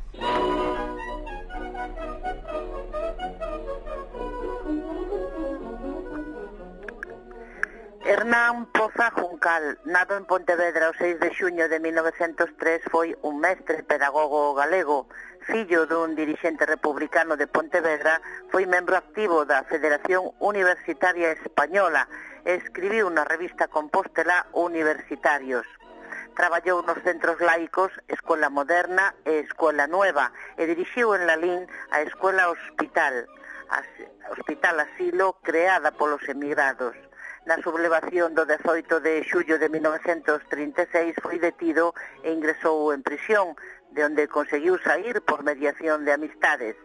Hernán Poza Juncal, nado en Pontevedra o 6 de xuño de 1903, foi un mestre pedagogo galego. Fillo dun dirixente republicano de Pontevedra, foi membro activo da Federación Universitaria Española e escribiu na revista compostelá Universitarios. Traballou nos centros laicos Escuela Moderna e Escuela Nueva e dirixiu en Lalín a Escuela Hospital Asilo creada polos emigrados. Na sublevación do 18 de xullo de 1936 foi detido e ingresou en prisión, de onde conseguiu sair por mediación de amistades.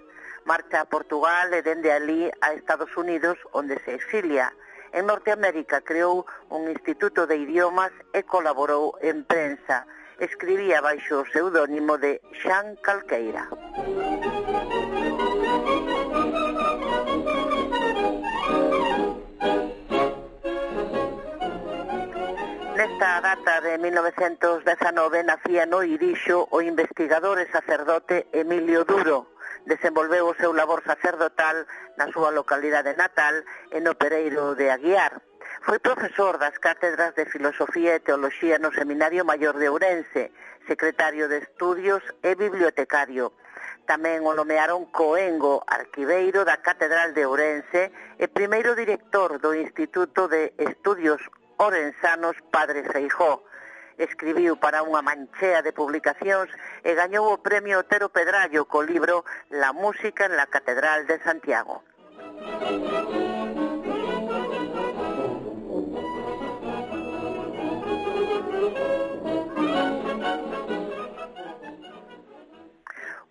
Marcha a Portugal e dende ali a Estados Unidos, onde se exilia. En Norteamérica creou un instituto de idiomas e colaborou en prensa. Escribía baixo o pseudónimo de Xan Calqueira. Nesta data de 1919 nacía no Irixo o investigador e sacerdote Emilio Duro. Desenvolveu o seu labor sacerdotal na súa localidade natal e no Pereiro de Aguiar. Foi profesor das cátedras de Filosofía e Teoloxía no Seminario Maior de Ourense, secretario de Estudios e bibliotecario. Tamén o nomearon coengo arquiveiro da Catedral de Ourense e primeiro director do Instituto de Estudios Ourensanos Padre Feijó. Escribiu para unha manchea de publicacións e gañou o premio Otero Pedrallo co libro La música en la Catedral de Santiago.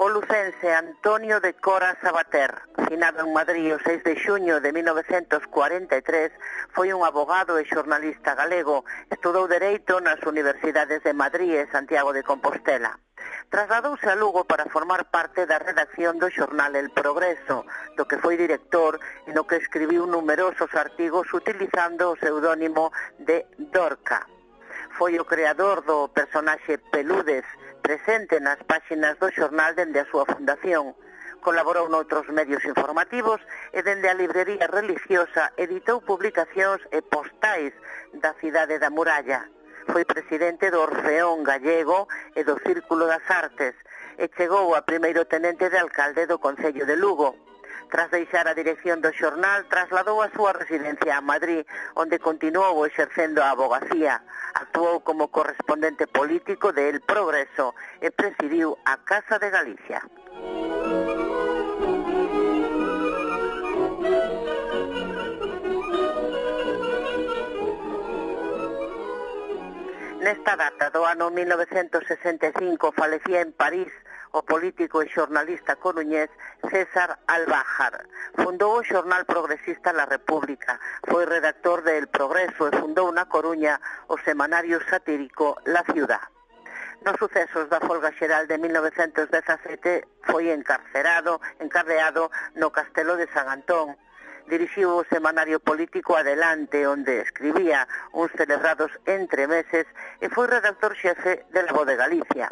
O lucense Antonio de Cora Sabater, finado en Madrid o 6 de xuño de 1943, foi un abogado e xornalista galego. Estudou Dereito nas universidades de Madrid e Santiago de Compostela. Trasladouse a Lugo para formar parte da redacción do xornal El Progreso, do que foi director e no que escribiu numerosos artigos utilizando o pseudónimo de Dorca. Foi o creador do personaxe Pelúdez, presente nas páxinas do xornal dende a súa fundación. Colaborou noutros medios informativos e dende a librería religiosa editou publicacións e postais da cidade da Muralla. Foi presidente do Orfeón Gallego e do Círculo das Artes e chegou a primeiro tenente de alcalde do Concello de Lugo. Tras deixar a dirección do xornal, trasladou a súa residencia a Madrid, onde continuou exercendo a abogacía. Actuou como correspondente político de El Progreso e presidiu a Casa de Galicia. Nesta data do ano 1965 falecía en París o político e xornalista coruñés César Albájar. Fundou o xornal progresista La República, foi redactor de El Progreso e fundou na Coruña o semanario satírico La Ciudad. Nos sucesos da folga xeral de 1917 foi encardeado no Castelo de San Antón. Dirixiu o semanario político Adelante, onde escribía uns celebrados entremeses e foi redactor xefe de La Voz de Galicia.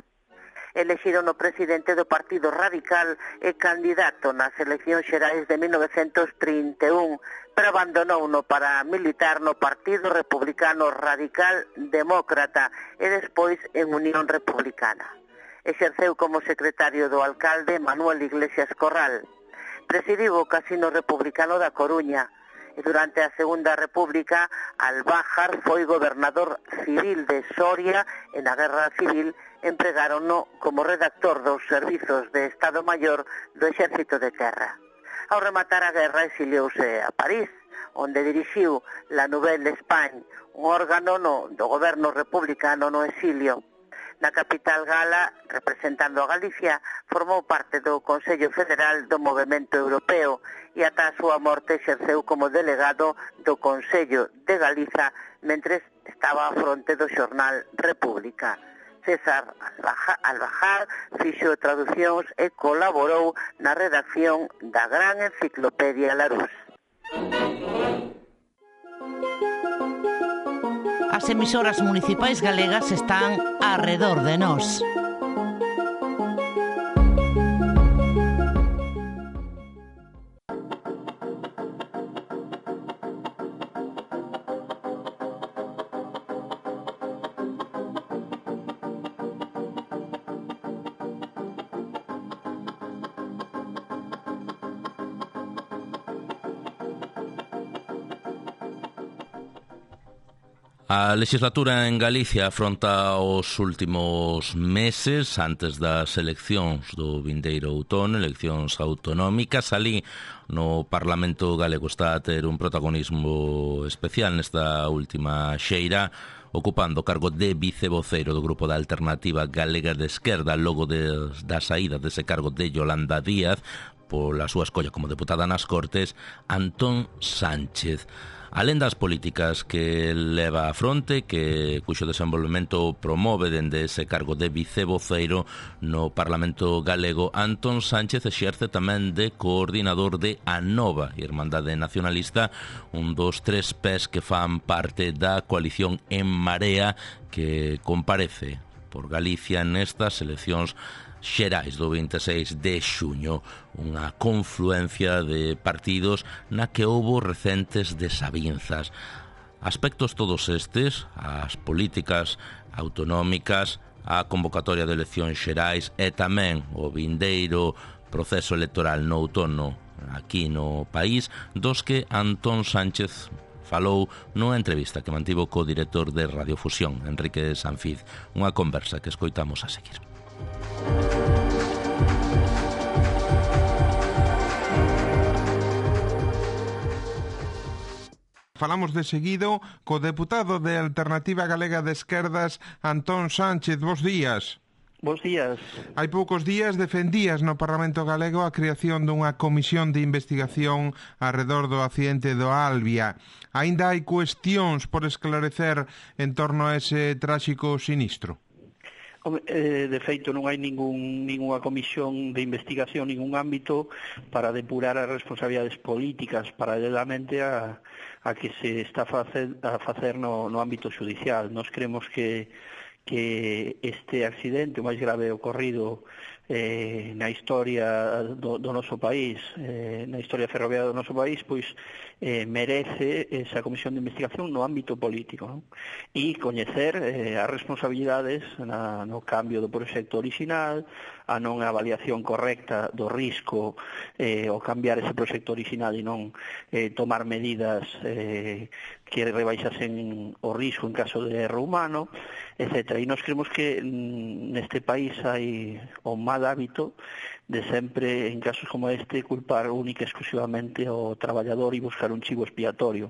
Elexiron o presidente do Partido Radical e candidato nas eleccións xerais de 1931, pero abandonouno para militar no Partido Republicano Radical Demócrata e despois en Unión Republicana. Exerceu como secretario do alcalde Manuel Iglesias Corral. Presidiu o Casino Republicano da Coruña e durante a Segunda República Albájar foi gobernador civil de Soria e na Guerra Civil empregárono como redactor dos servizos de Estado Maior do Exército de Terra. Ao rematar a guerra exiliouse a París, onde dirixiu la Nouvelle Espagne, un órgano do goberno republicano no exilio. Na capital gala, representando a Galicia, formou parte do Consello Federal do Movemento Europeo e ata a súa morte exerceu como delegado do Consello de Galiza mentres estaba á fronte do xornal República. César Albajar fixo traducións e colaborou na redacción da gran enciclopedia Larousse. As emisoras municipais galegas están arredor de nós. A legislatura en Galicia afronta os últimos meses antes das eleccións do vindeiro outono, eleccións autonómicas. Alí no Parlamento galego está a ter un protagonismo especial nesta última xeira, ocupando o cargo de vicevocero do Grupo da Alternativa Galega de Esquerda, logo da saída dese cargo de Yolanda Díaz pola súa escolla como deputada nas Cortes, Antón Sánchez. Alén das políticas que leva a fronte, cuxo desenvolvemento promove dende ese cargo de vicevocero no Parlamento galego, Antón Sánchez exerce tamén de coordinador de Anova, Irmandade Nacionalista, un dos tres pés que fan parte da coalición En Marea que comparece por Galicia nestas eleccións xerais do 26 de xuño, unha confluencia de partidos na que houbo recentes desavinzas. Aspectos todos estes, as políticas autonómicas, a convocatoria de eleccións xerais e tamén o vindeiro proceso electoral no outono aquí no país, dos que Antón Sánchez falou nunha entrevista que mantivo co director de Radiofusión, Enrique Sanfiz, unha conversa que escoitamos a seguir. Falamos de seguido co deputado de Alternativa Galega de Esquerdas, Antón Sánchez. Bos días. Bos días. Hai poucos días defendías no Parlamento Galego a creación dunha comisión de investigación arredor do accidente do Albia. Aínda hai cuestións por esclarecer en torno a ese tráxico sinistro? De feito, non hai ninguna comisión de investigación, ningún ámbito para depurar as responsabilidades políticas paralelamente a que se está a facer no ámbito judicial. Nos creemos que este accidente, o máis grave ocorrido na historia do noso país, na historia ferroviaria do noso país, pois merece esa comisión de investigación no ámbito político, non? E coñecer as responsabilidades no cambio do proxecto orixinal, a non avaliación correcta do risco ao cambiar ese proxecto orixinal e non tomar medidas que rebaixasen o risco en caso de erro humano, etc. E nós creemos que neste país hai o mal hábito de sempre, en casos como este, culpar única e exclusivamente ao traballador e buscar un chivo expiatorio.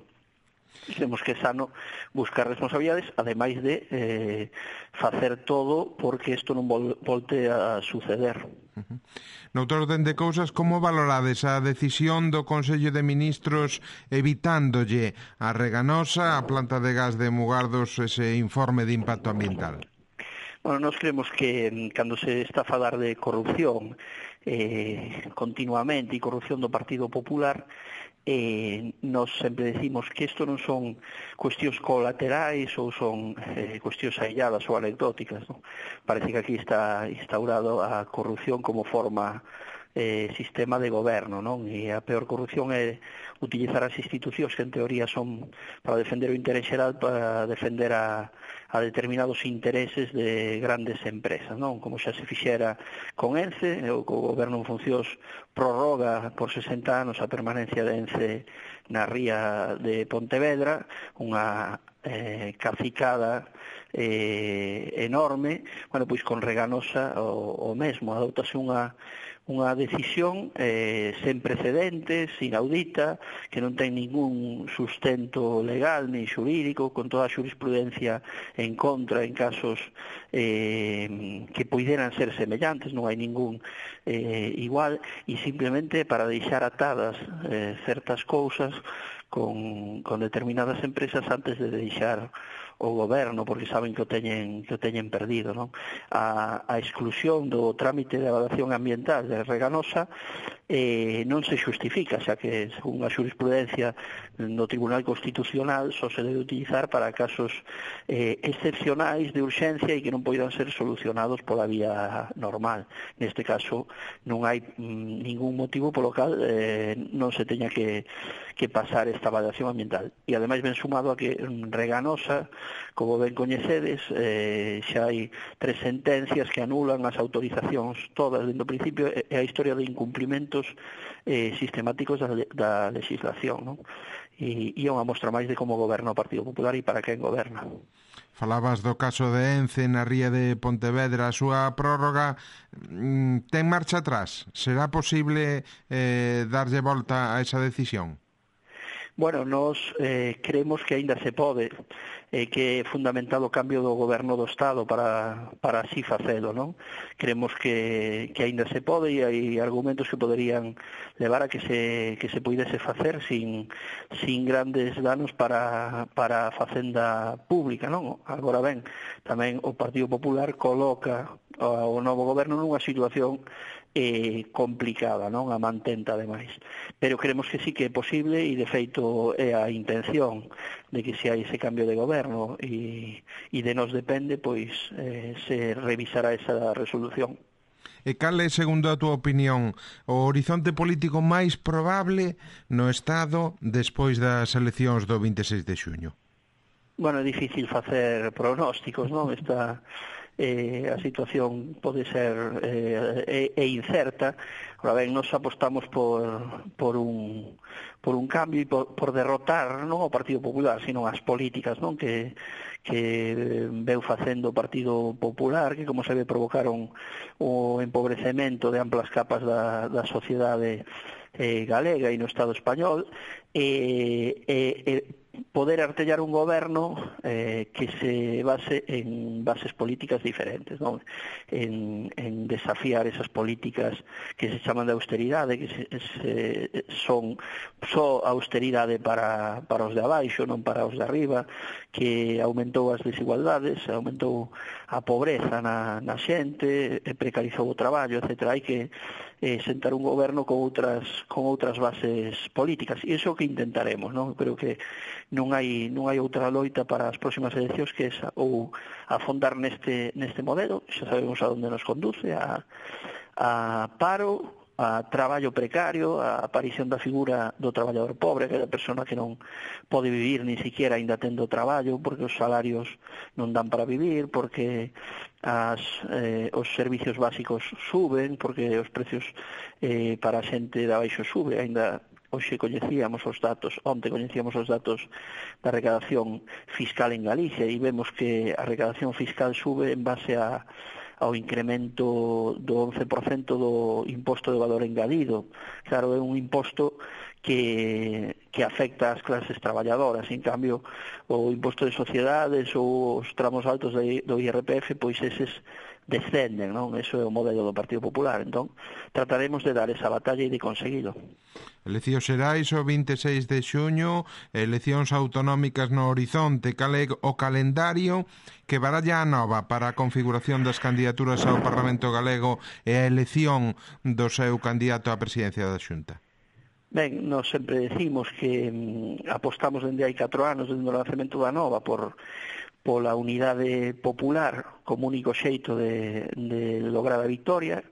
Creemos que é sano buscar responsabilidades, ademais de facer todo porque isto non volte a suceder. Noutor orden de cousas, como valorades a decisión do Consello de Ministros evitándolle a Reganosa, a planta de gas de Mugardos, ese informe de impacto ambiental? Bueno, nós creemos que cando se está a falar de corrupción continuamente e corrupción do Partido Popular, nós sempre decimos que isto non son cuestións colaterais ou son cuestións ailladas ou anecdóticas, non? Parece que aquí está instaurado a corrupción como forma sistema de goberno, non? E a peor corrupción é utilizar as institucións que en teoría son para defender o interés xeral, para defender a determinados intereses de grandes empresas, non? Como xa se fixera con ENCE, o goberno en funcións prorroga por 60 anos a permanencia de ENCE na ría de Pontevedra, unha cacicada enorme. Bueno, pois con Reganosa o mesmo, adoptase unha unha decisión sen precedentes, inaudita, que non ten ningún sustento legal ni xurídico, con toda a xurisprudencia en contra en casos que poideran ser semellantes, non hai ningún igual, e simplemente para deixar atadas certas cousas con determinadas empresas antes de deixar o goberno, porque saben que o teñen perdido, non? A exclusión do trámite de evaluación ambiental de Reganosa non se justifica, xa que según a xurisprudencia do Tribunal Constitucional só se debe utilizar para casos excepcionais de urxencia e que non poidan ser solucionados pola vía normal. Neste caso non hai ningún motivo polo cal non se teña que pasar esta evaluación ambiental. E ademais ben sumado a que Reganosa, como ben coñecedes, xa hai 3 sentencias que anulan as autorizacións todas dentro do principio e a historia de incumplimentos sistemáticos da legislación, non? E é unha mostra máis de como goberna o Partido Popular e para quen goberna. Falabas do caso de Ence na ría de Pontevedra, a súa prórroga ten marcha atrás? Será posible darlle volta a esa decisión? Bueno, nós creemos que aínda se pode, que é fundamentado o cambio do goberno do Estado para así facelo, non? Creemos que aínda se pode e hai argumentos que poderían levar a que se puidese facer sin grandes danos para a facenda pública, non? Agora ben, tamén o Partido Popular coloca o novo goberno nunha situación complicada, non? A mantenta ademais. Pero creemos que sí que é posible e de feito é a intención de que se hai ese cambio de goberno e de nos depende, pois se revisará esa resolución. E cal é, segundo a túa opinión, o horizonte político máis probable no Estado despois das eleccións do 26 de xuño? Bueno, é difícil facer pronósticos, non? A situación pode ser incerta. Ahora ben, nos apostamos por un cambio e por derrotar non o Partido Popular, sino as políticas, non, que veu facendo o Partido Popular, que como se ve provocaron o empobrecemento de amplas capas da sociedade galega e no Estado español, poder artellar un goberno que se base en bases políticas diferentes, non? En desafiar esas políticas que se chaman de austeridade, que son só austeridade para os de abaixo, non para os de arriba, que aumentou as desigualdades, aumentou a pobreza na xente, precarizou o traballo, etc. Hai que sentar un goberno con outras bases políticas, e iso que intentaremos, non? Creo que non hai outra loita para as próximas eleccións que esa, ou afondar neste modelo, xa sabemos a onde nos conduce, a paro, a traballo precario, a aparición da figura do traballador pobre, que é a persona que non pode vivir ni siquiera aínda tendo traballo, porque os salarios non dan para vivir, porque os servicios básicos suben, porque os precios para a xente de abaixo sube. Aínda onte coñecíamos os datos da recadación fiscal en Galicia e vemos que a recadación fiscal sube en base ao incremento do 11% do imposto de valor engadido. Claro, é un imposto que afecta ás clases traballadoras. En cambio, o imposto de sociedades ou os tramos altos do IRPF, pois eses descenden, non? Eso é o modelo do Partido Popular. Entón, trataremos de dar esa batalla e de conseguilo. Eleccións xerais o 26 de xuño, eleccións autonómicas no horizonte. Cal é o calendario que baralla a nova para a configuración das candidaturas ao Parlamento Galego e a elección do seu candidato á presidencia da Xunta? Ben, nós sempre decimos que apostamos dende hai 4 anos, dende o lanzamento da nova, pola unidade popular como único xeito de lograr a victoria.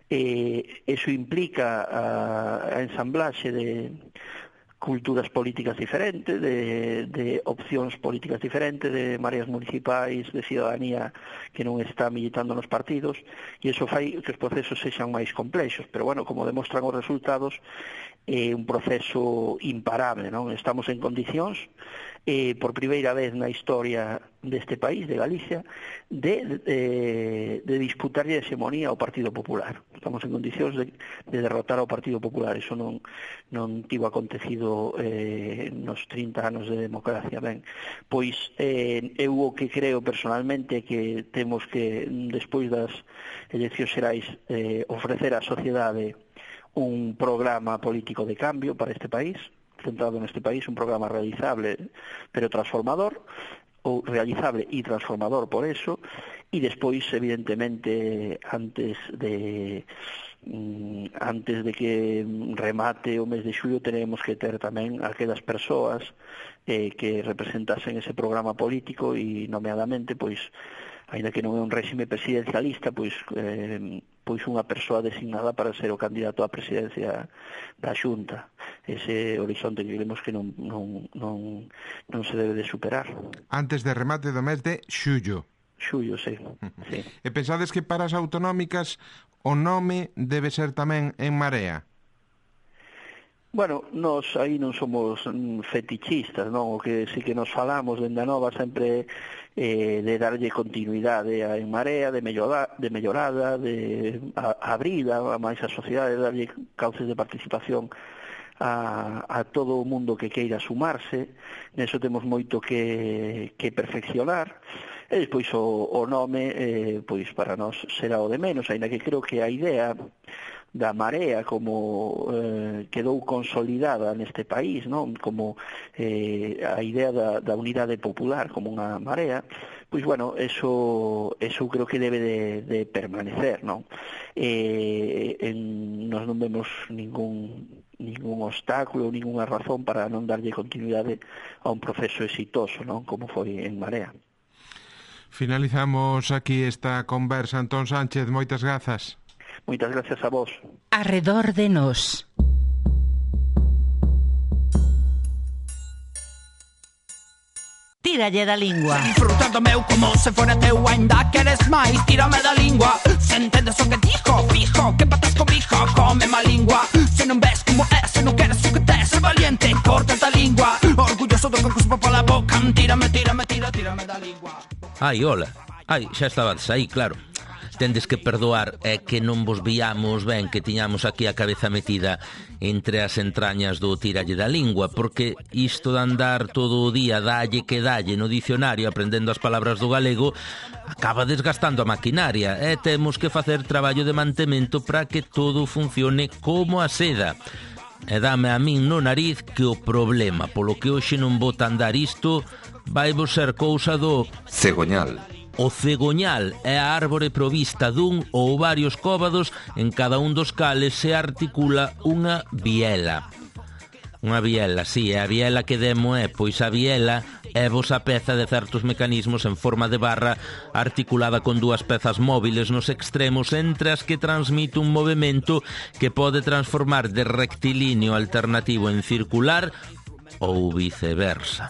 Eso implica a ensamblaxe de culturas políticas diferentes, de opcións políticas diferentes, de mareas municipais, de cidadanía que non está militando nos partidos, e iso fai que os procesos sexan máis complexos. Pero, bueno, como demostran os resultados, é un proceso imparable, non? Estamos en condicións por primeira vez na historia deste país, de Galicia, de disputarlle a hexemonía ao Partido Popular. Estamos en condicións de derrotar ao Partido Popular. Eso non tivo acontecido nos 30 anos de democracia. Ben, pois eu o que creo personalmente que temos que, despois das eleccións xerais, ofrecer á sociedade un programa político de cambio para este país, centrado neste país, un programa realizable pero transformador, ou realizable e transformador por eso, e despois, evidentemente, antes de que remate o mes de xullo, tenemos que ter tamén aquelas persoas que representasen ese programa político e, nomeadamente, pois, ainda que non é un réxime presidencialista, pois unha persoa designada para ser o candidato á presidencia da Xunta. Ese horizonte que vemos que non se debe de superar. Antes de remate do mes de xullo. Xullo, sí. E pensades que para as autonómicas o nome debe ser tamén En Marea? Bueno, nós aí non somos fetichistas, non? O que sí que nos falamos dende a Nova sempre de darlle continuidade a En Marea, de mellorada, de abrida a máis a sociedade, de darlle cauces de participación a todo o mundo que queira sumarse. Neso temos moito que perfeccionar. E despois o nome, pois para nós será o de menos, aínda que creo que a idea da Marea como quedou consolidada neste país, non? Como a idea da unidade popular como unha marea, pois bueno, eso creo que debe de permanecer, non? Nós non vemos ningún obstáculo, ninguna razón para non darlle continuidade a un proceso exitoso, non? Como foi En Marea. Finalizamos aquí esta conversa. Antón Sánchez, moitas grazas. Moitas gracias a vos. Arredor de nós. Tíralle da lingua. Disfrutando meu como se fora teu, ainda queres máis, tírame da lingua. Se entendes o que dijo, fijo, que patas comigo, come má lingua. Se non ves como é, se non queres o que tes, ser valiente, corta da lingua. Orgulloso do que cuspo pola boca, tírame da lingua. Ai, hola. Ai, xa estabades aí, claro. Tendes que perdoar, é que non vos víamos ben que tiñamos aquí a cabeza metida entre as entrañas do tiralle da lingua, porque isto de andar todo o día dalle que dalle no dicionario aprendendo as palabras do galego acaba desgastando a maquinaria e temos que facer traballo de mantemento para que todo funcione como a seda. E dame a min no nariz que o problema polo que hoxe non bota andar isto vai vos ser cousa do cegoñal. O cegoñal é a árbore provista dun ou varios cóbados en cada un dos cales se articula unha biela. Unha biela, sí, é a biela que demo pois a biela é vos a peza de certos mecanismos en forma de barra articulada con dúas pezas móviles nos extremos entre as que transmite un movimento que pode transformar de rectilíneo alternativo en circular ou viceversa.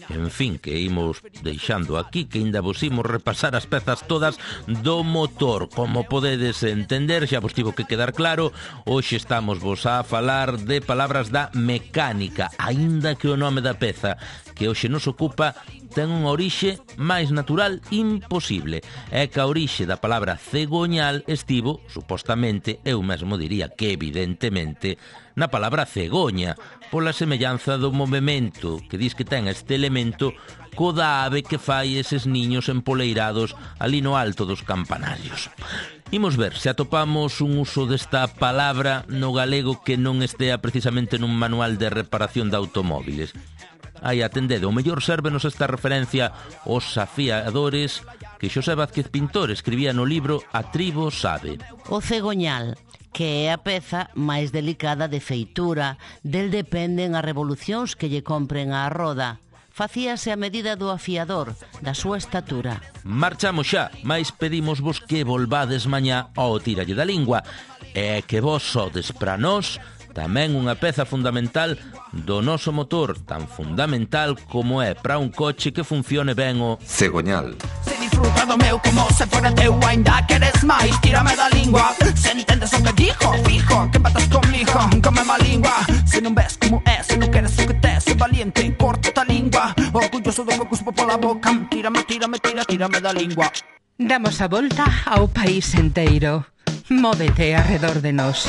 En fin, que imos deixando aquí, que ainda vos imos repasar as pezas todas do motor. Como podedes entender, xa vos tivo que quedar claro, hoxe estamos vos a falar de palabras da mecánica, aínda que o nome da peza que hoxe nos ocupa ten unha orixe máis natural imposible. É que a orixe da palabra cegoñal estivo, supostamente, eu mesmo diría que evidentemente, na palabra cegoña, pola semellanza do movimento que dis que ten este elemento co da ave que fai eses niños empoleirados ali no alto dos campanarios. Imos ver se atopamos un uso desta palabra no galego que non estea precisamente nun manual de reparación de automóviles. Aí, atendede, o mellor sérvenos esta referencia aos afiadores que Xosé Vázquez Pintor escribía no libro A Tribo Sabe. O cegoñal, que é a peza máis delicada de feitura, del dependen as revolucións que lle compren á roda. Facíase a medida do afiador, da súa estatura. Marchamos xa, mais pedimosvos que volvades mañá ao tiralle da lingua, e que vos sodes pra nós tamén unha peza fundamental do noso motor, tan fundamental como é para un coche que funcione ben o cegoñal. disfruta do meu como se fora teu. Ainda queres máis, tírame da lingua. Se entendes o que dijo, fijo, que empatas comigo, come má lingua. Se non ves como é, se non queres o que tes, se valiente, corta a lingua. Orgulloso do que cuspo pola boca, tírame da lingua. Damos a volta ao país enteiro. Móvete arredor de nós.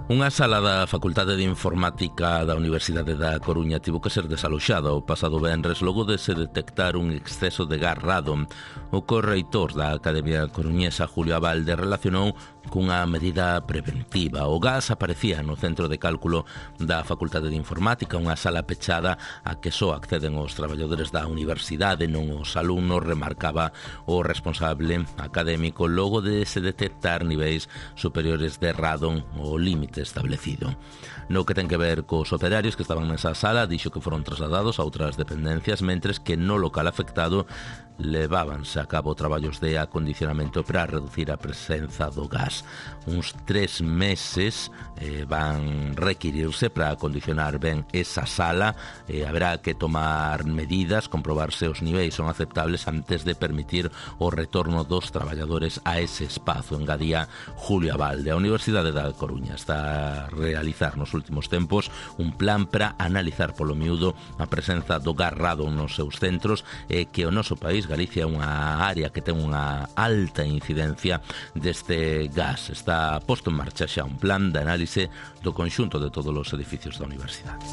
Unha sala da Facultade de Informática da Universidade da Coruña tivo que ser desaloxada o pasado venres logo de se detectar un exceso de gas radon. O correitor da Academia Coruñesa, Julio Abalde, relacionou cunha medida preventiva. O gas aparecía no centro de cálculo da Facultade de Informática, unha sala pechada a que só acceden os traballadores da universidade, non os alumnos, remarcaba o responsable académico logo de se detectar niveis superiores de radon ao límite establecido. No que ten que ver cos operarios que estaban nesa sala, dixo que foron trasladados a outras dependencias, mentres que no local afectado levábanse a cabo traballos de acondicionamento para reducir a presenza do gas. Uns 3 meses van requirirse para acondicionar ben esa sala. Haberá que tomar medidas, comprobar se os niveis son aceptables antes de permitir o retorno dos traballadores a ese espazo, engadía Julio Abalde. A Universidade da Coruña está a realizar nos últimos tempos un plan para analizar polo miúdo a presenza do gas radon nos seus centros e que o noso país, Galicia, é unha área que ten unha alta incidencia deste gas. Está posto en marcha xa un plan de análise do conxunto de todos os edificios da universidade.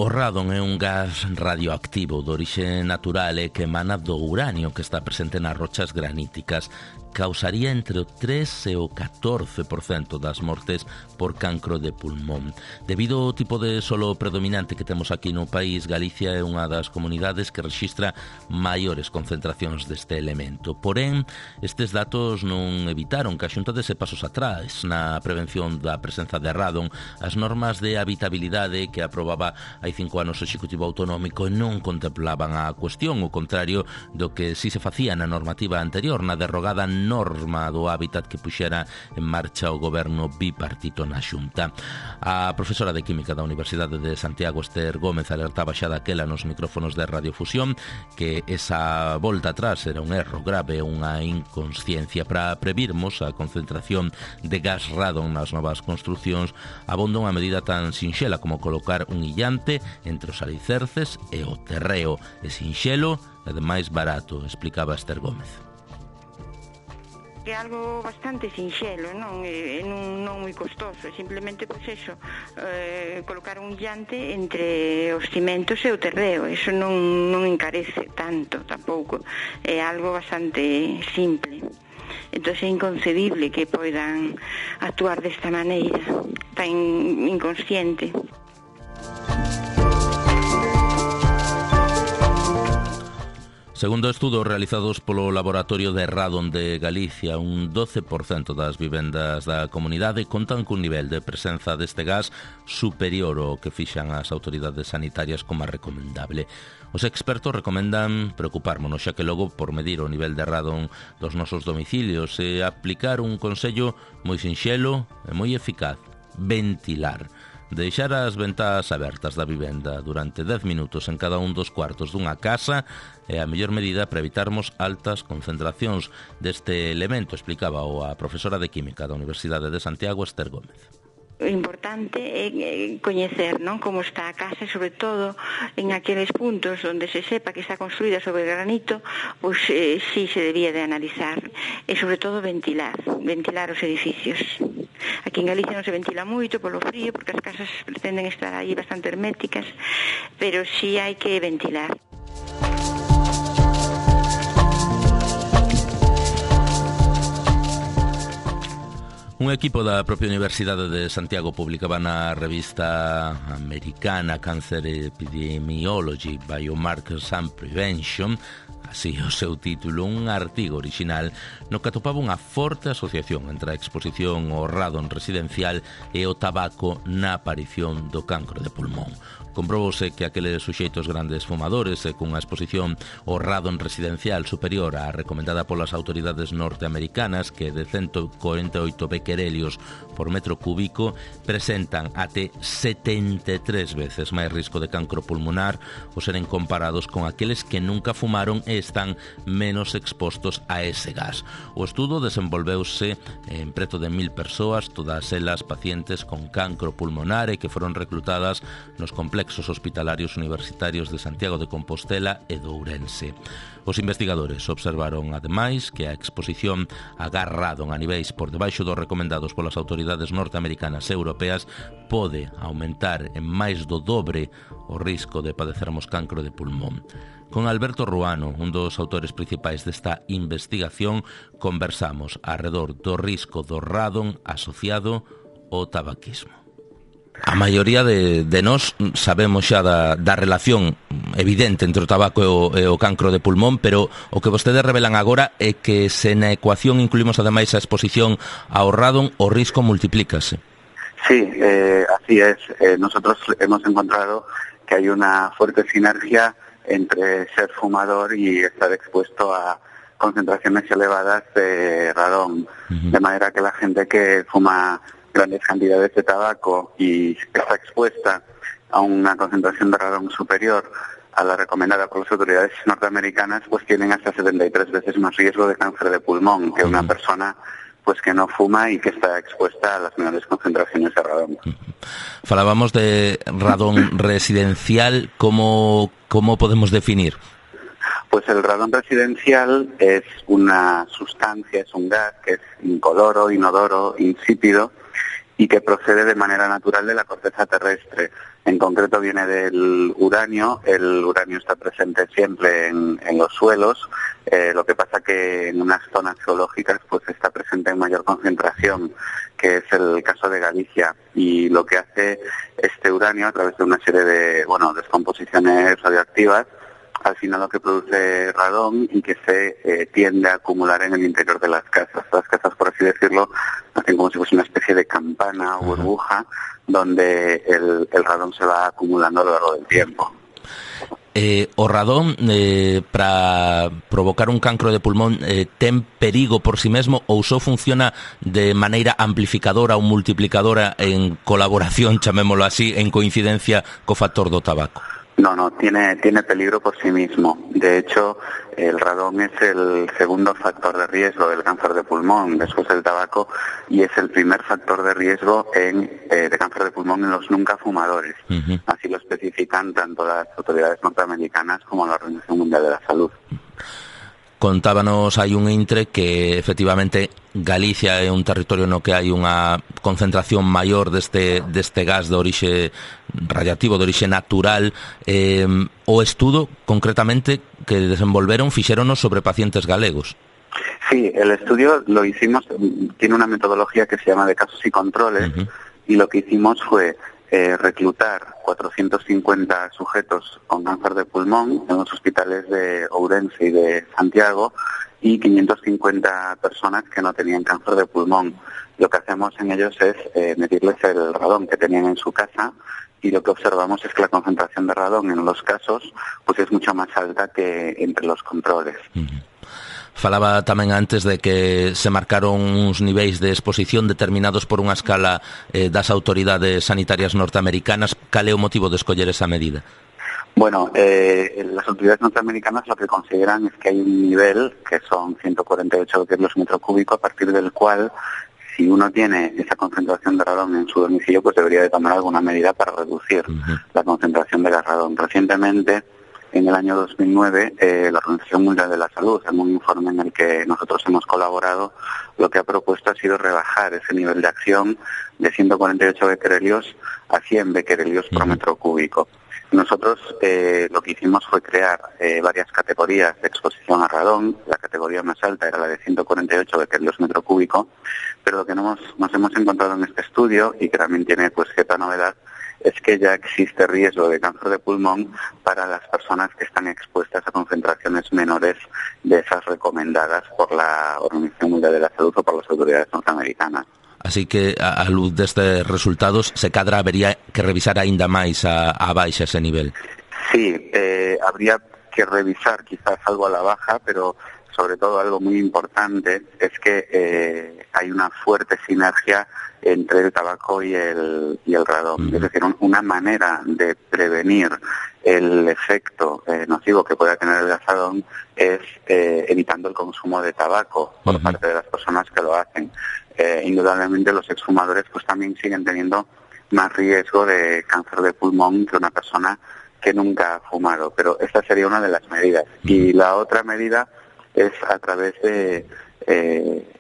O radon é un gas radioactivo de orixe natural e que emana do uranio que está presente nas rochas graníticas. Causaría entre o 3 e o 14% das mortes por cancro de pulmón. Debido ao tipo de solo predominante que temos aquí no país, Galicia é unha das comunidades que rexistra maiores concentracións deste elemento. Porén, estes datos non evitaron que a Xunta dese pasos atrás na prevención da presenza de radon. As normas de habitabilidade que aprobaba hai 5 anos o Executivo Autonómico non contemplaban a cuestión, o contrario do que si se facía na normativa anterior, na derrogada norma do hábitat que puxera en marcha o goberno bipartito na Xunta. A profesora de Química da Universidade de Santiago, Esther Gómez, alertaba xa daquela nos micrófonos de Radiofusión que esa volta atrás era un erro grave, unha inconsciencia. Para previrmos a concentración de gas radon nas novas construcións, abonda unha medida tan sinxela como colocar un illante entre os alicerces e o terreo. É sinxelo e ademais barato, explicaba Esther Gómez. É algo bastante sinxelo, non moi costoso, simplemente pois eso, colocar un llante entre os cimentos e o terreo. Eso non encarece tanto tampouco, é algo bastante simple. Entón é inconcebible que poidan actuar desta maneira tan inconsciente. Segundo estudos realizados polo Laboratorio de Radon de Galicia, un 12% das vivendas da comunidade contan cun nivel de presenza deste gas superior ao que fixan as autoridades sanitarias como recomendable. Os expertos recomendan preocupármonos, xa que logo por medir o nivel de radon dos nosos domicilios e aplicar un consello moi sinxelo e moi eficaz: ventilar. Deixar as ventás abertas da vivenda durante 10 minutos en cada un dos cuartos dunha casa é a mellor medida para evitarmos altas concentracións deste elemento, explicaba a profesora de Química da Universidade de Santiago, Esther Gómez. O importante é coñecer, non, como está a casa, sobre todo en aqueles puntos onde se sepa que está construída sobre granito, pois sí se debía de analizar, e sobre todo ventilar os edificios. Aquí en Galicia non se ventila moito polo frío, porque as casas pretenden estar aí bastante herméticas, pero sí hai que ventilar. Un equipo da propia Universidade de Santiago publicaba na revista americana Cancer Epidemiology, Biomarkers and Prevention, así o seu título, un artigo original no que atopaba unha forte asociación entre a exposición ao radon residencial e o tabaco na aparición do cancro de pulmón. Comprobouse que aqueles suxeitos grandes fumadores e cunha exposición ao radon residencial superior á recomendada polas autoridades norteamericanas, que de 148 bequerelios por metro cúbico, presentan até 73 veces máis risco de cancro pulmonar ao seren comparados con aqueles que nunca fumaron e están menos expostos a ese gas. O estudo desenvolveuse en preto de 1000 persoas, todas elas pacientes con cancro pulmonar e que foron reclutadas nos complexos hospitalarios universitarios de Santiago de Compostela e de Ourense. Os investigadores observaron, ademais, que a exposición a gas radon a niveis por debaixo dos recomendados polas autoridades norteamericanas e europeas pode aumentar en máis do dobre o risco de padecermos cancro de pulmón. Con Alberto Ruano, un dos autores principais desta investigación, conversamos arredor do risco do radon asociado ao tabaquismo. A maioría de nós sabemos xa da relación evidente entre o tabaco e o cancro de pulmón, pero o que vostedes revelan agora é que se na ecuación incluímos ademais a exposición ao radon, o risco multiplícase. Sí, así es. Nosotros hemos encontrado que hay una fuerte sinergia entre ser fumador y estar expuesto a concentraciones elevadas de radón, de manera que la gente que fuma grandes cantidades de tabaco y está expuesta a una concentración de radón superior a la recomendada por las autoridades norteamericanas, pues tienen hasta 73 veces más riesgo de cáncer de pulmón que una persona pues que no fuma y que está expuesta a las menores concentraciones de radón. Falábamos de radón residencial, ¿cómo podemos definir? Pues el radón residencial es una sustancia, es un gas que es incoloro, inodoro, insípido y que procede de manera natural de la corteza terrestre. En concreto viene del uranio. El uranio está presente siempre en los suelos. Lo que pasa que en unas zonas geológicas pues está presente en mayor concentración, que es el caso de Galicia. Y lo que hace este uranio, a través de una serie de descomposiciones radioactivas, al final lo que produce radón y que se tiende a acumular en el interior de las casas. Las casas, por así decirlo, hacen como si fuese una especie de campana o burbuja donde el radón se va acumulando a lo largo del tiempo. O radón, para provocar un cancro de pulmón, ten perigo por sí mesmo ou só funciona de maneira amplificadora ou multiplicadora en colaboración, chamémolo así, en coincidencia co factor do tabaco? No, tiene peligro por sí mismo. De hecho, el radón es el segundo factor de riesgo del cáncer de pulmón después del tabaco y es el primer factor de riesgo de cáncer de pulmón en los nunca fumadores. Así lo especifican tanto las autoridades norteamericanas como la Organización Mundial de la Salud. Contábanos hai un intre que efectivamente Galicia é un territorio no que hai unha concentración maior deste gas de orixe radiactivo, de orixe natural. O estudo, concretamente, que desenvolveron, fixéronos sobre pacientes galegos. Sí, el estudio lo hicimos, tiene una metodología que se llama de casos y controles, y lo que hicimos fue reclutar 450 sujetos con cáncer de pulmón en los hospitales de Ourense y de Santiago y 550 personas que no tenían cáncer de pulmón. Lo que hacemos en ellos es medirles el radón que tenían en su casa y lo que observamos es que la concentración de radón en los casos pues es mucho más alta que entre los controles. Falaba tamén antes de que se marcaron uns niveis de exposición determinados por unha escala das autoridades sanitarias norteamericanas. Cal é o motivo de escoller esa medida? Bueno, las autoridades norteamericanas lo que consideran es que hay un nivel, que son 148 becquerelios metro cúbico, a partir del cual, si uno tiene esa concentración de radón en su domicilio, pues debería de tomar alguna medida para reducir la concentración de radón. Recientemente, en el año 2009, la Organización Mundial de la Salud, en un informe en el que nosotros hemos colaborado, lo que ha propuesto ha sido rebajar ese nivel de acción de 148 becquerelios a 100 becquerelios por metro cúbico. Nosotros lo que hicimos fue crear varias categorías de exposición a radón. La categoría más alta era la de 148 becquerels metro cúbico, pero lo que nos hemos encontrado en este estudio, y que también tiene pues cierta novedad, es que ya existe riesgo de cáncer de pulmón para las personas que están expuestas a concentraciones menores de esas recomendadas por la Organización Mundial de la Salud o por las autoridades norteamericanas. Así que, a luz destes resultados, se cadra habería que revisar aínda máis a baixa ese nivel. Sí, habría que revisar quizás algo a la baja, pero sobre todo algo muy importante es que hay una fuerte sinergia entre el tabaco y el radón. Es decir, una manera de prevenir el efecto nocivo que pueda tener el radón es evitando el consumo de tabaco por parte de las personas que lo hacen. Indudablemente los exfumadores pues también siguen teniendo más riesgo de cáncer de pulmón que una persona que nunca ha fumado, pero esta sería una de las medidas. Y la otra medida es a través de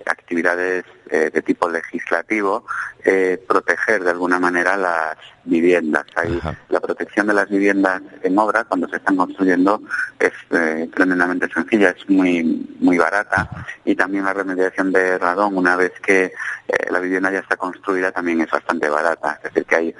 actividades de tipo legislativo, proteger de alguna manera las viviendas. La protección de las viviendas en obra, cuando se están construyendo, es tremendamente sencilla, es muy barata, y también la remediación de radón, una vez que la vivienda ya está construida, también es bastante barata. Es decir, que hay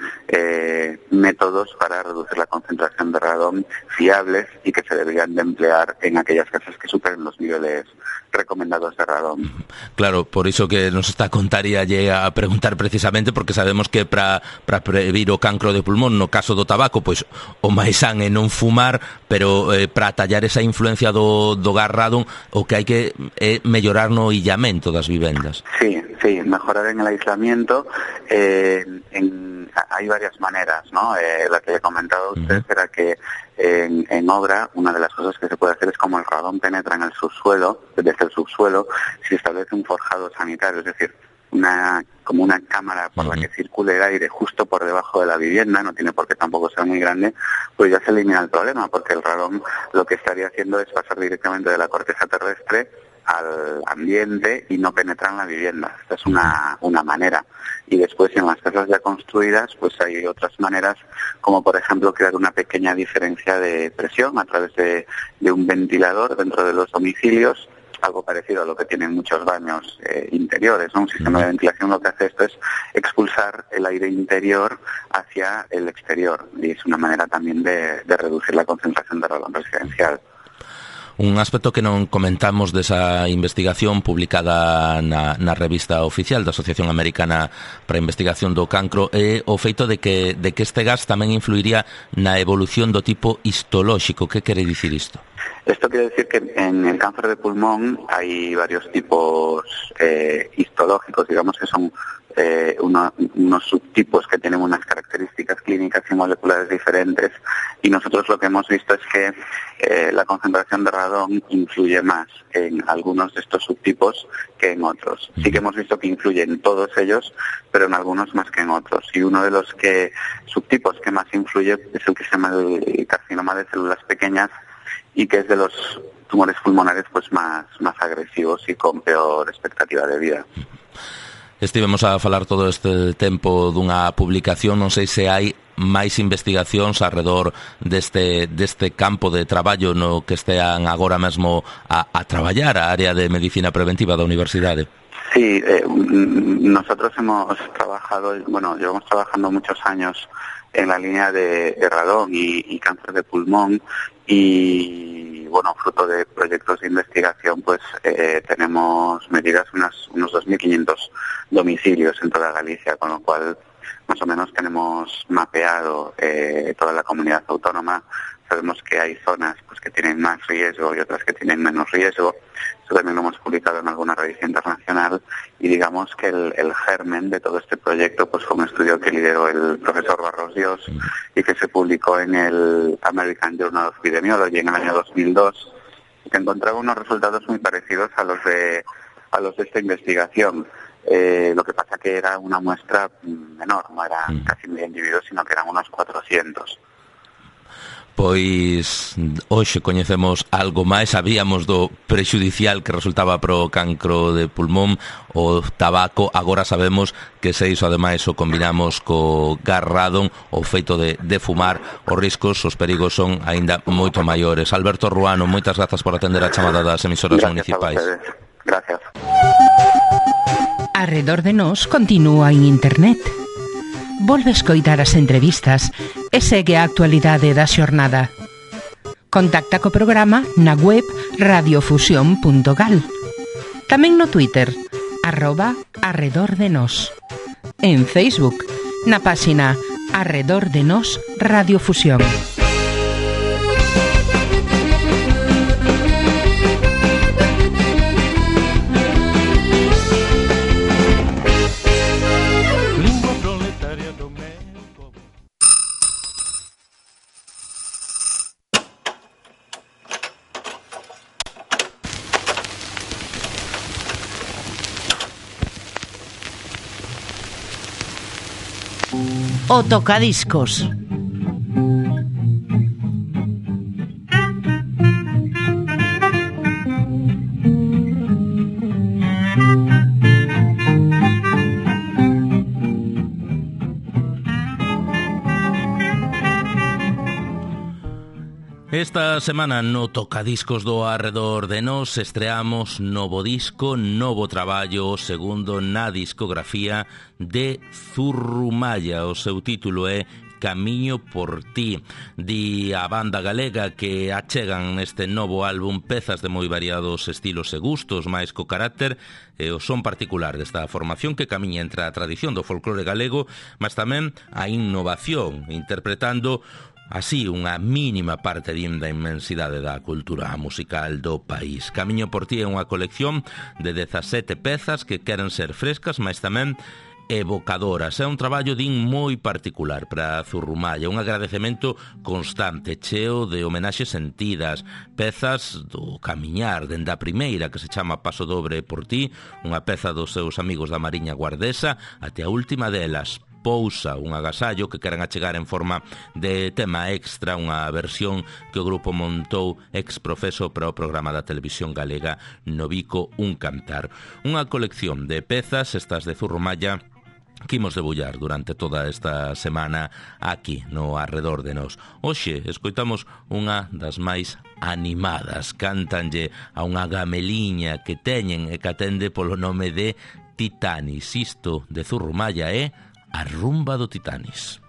métodos para reducir la concentración de radón fiables y que se deberían de emplear en aquellas casas que superen los niveles recomendados de radón. Claro, por iso que nos está a contar e a preguntar precisamente, porque sabemos que para previr o cancro de pulmón, no caso do tabaco, pois o máis san é non fumar, pero para tallar esa influencia do gas radón, o que hai que é mellorar no illamento das vivendas. Sí, mejorar en el aislamiento. Hay varias maneras, ¿no? La que le he comentado a usted era que en obra, una de las cosas que se puede hacer es, como el radón penetra en el subsuelo, desde el subsuelo, se establece un forjado sanitario, es decir, como una cámara por la que circule el aire justo por debajo de la vivienda, no tiene por qué tampoco ser muy grande, pues ya se elimina el problema, porque el radón lo que estaría haciendo es pasar directamente de la corteza terrestre al ambiente y no penetra en la vivienda. Esta es una manera. Y después, en las casas ya construidas, pues hay otras maneras, como por ejemplo crear una pequeña diferencia de presión a través de un ventilador dentro de los domicilios, algo parecido a lo que tienen muchos baños interiores, ¿no? Un sistema de ventilación lo que hace esto es expulsar el aire interior hacia el exterior, y es una manera también de reducir la concentración de radón residencial. Un aspecto que non comentamos desa investigación publicada na revista oficial da Asociación Americana para a Investigación do Cancro é o feito de que este gas tamén influiría na evolución do tipo histolóxico. Que quere dicir isto? Esto quiere decir que en el cáncer de pulmón hay varios tipos histológicos, digamos que son unos subtipos que tienen unas características clínicas y moleculares diferentes, y nosotros lo que hemos visto es que la concentración de radón influye más en algunos de estos subtipos que en otros. Sí que hemos visto que influye en todos ellos, pero en algunos más que en otros. Y uno de los subtipos que más influye es el que se llama el carcinoma de células pequeñas, y que es de los tumores pulmonares pues más agresivos y con peor expectativa de vida. Estivemos a falar todo este tempo dunha publicación, non sei se hai máis investigacións alrededor deste campo de traballo no que estean agora mesmo a traballar a área de medicina preventiva da universidade. Sí, nosotros hemos trabajado, llevamos trabajando muchos años en la línea de radón y cáncer de pulmón, y fruto de proyectos de investigación, pues tenemos medidas unos 2.500 domicilios en toda Galicia, con lo cual más o menos tenemos mapeado toda la comunidad autónoma. Sabemos que hay zonas pues que tienen más riesgo y otras que tienen menos riesgo. Eso también lo hemos publicado en alguna revista internacional, y digamos que el germen de todo este proyecto pues fue un estudio que lideró el profesor Barros Dios y que se publicó en el American Journal of Epidemiology en el año 2002, que encontraba unos resultados muy parecidos a los de esta investigación. Lo que pasa que era una muestra menor, no eran casi 1.000 individuos, sino que eran unos 400. Pois hoxe coñecemos algo máis, sabíamos do prexudicial que resultaba pro cancro de pulmón o tabaco, agora sabemos que se iso ademais o combinamos co gas radon, o feito de fumar, os riscos, os perigos son aínda moito maiores. Alberto Ruano, moitas grazas por atender a chamada das emisoras municipais. Gracias. Arredor de nós continúa en internet. Volve escoitar as entrevistas e segue a actualidade da xornada. Contacta co programa na web radiofusión.gal. Tamén no Twitter, @arredordenos. En Facebook, na páxina Arredor de Nos Radiofusión. O tocadiscos. Esta semana no Tocadiscos do Arredor de Nos estreamos novo disco, novo traballo, o segundo na discografía de Zurrumalla. O seu título é Camiño por ti. Di a banda galega que achegan neste novo álbum pezas de moi variados estilos e gustos, máis co carácter e o son particular desta formación que camiña entre a tradición do folclore galego, mas tamén a innovación, interpretando así unha mínima parte da inmensidade da cultura musical do país. Camiño por ti é unha colección de 17 pezas que queren ser frescas, mas tamén evocadoras. É un traballo din moi particular para Zurrumalla, un agradecemento constante, cheo de homenaxes sentidas, pezas do camiñar, dende a primeira que se chama Paso Dobre por ti, unha peza dos seus amigos da Mariña Guardesa, até a última delas, Pousa, un agasallo que queren achegar en forma de tema extra, unha versión que o grupo montou ex profeso para o programa da televisión galega Novico Un Cantar. Unha colección de pezas, estas de Zurrumalla, que imos debullar durante toda esta semana aquí no Arredor de Nos. Hoxe escoitamos unha das máis animadas, cántanlle a unha gameliña que teñen e que atende polo nome de Titanis. Isto de Zurrumalla é A rumba do Titanis.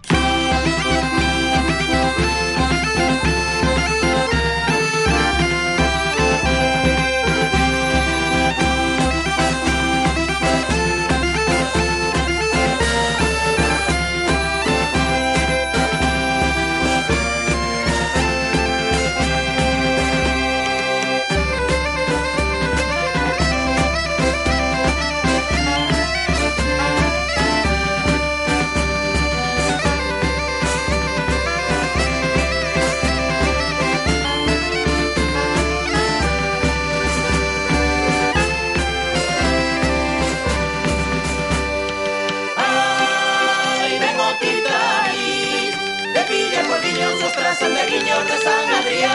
Sandeguiños de San Adrián.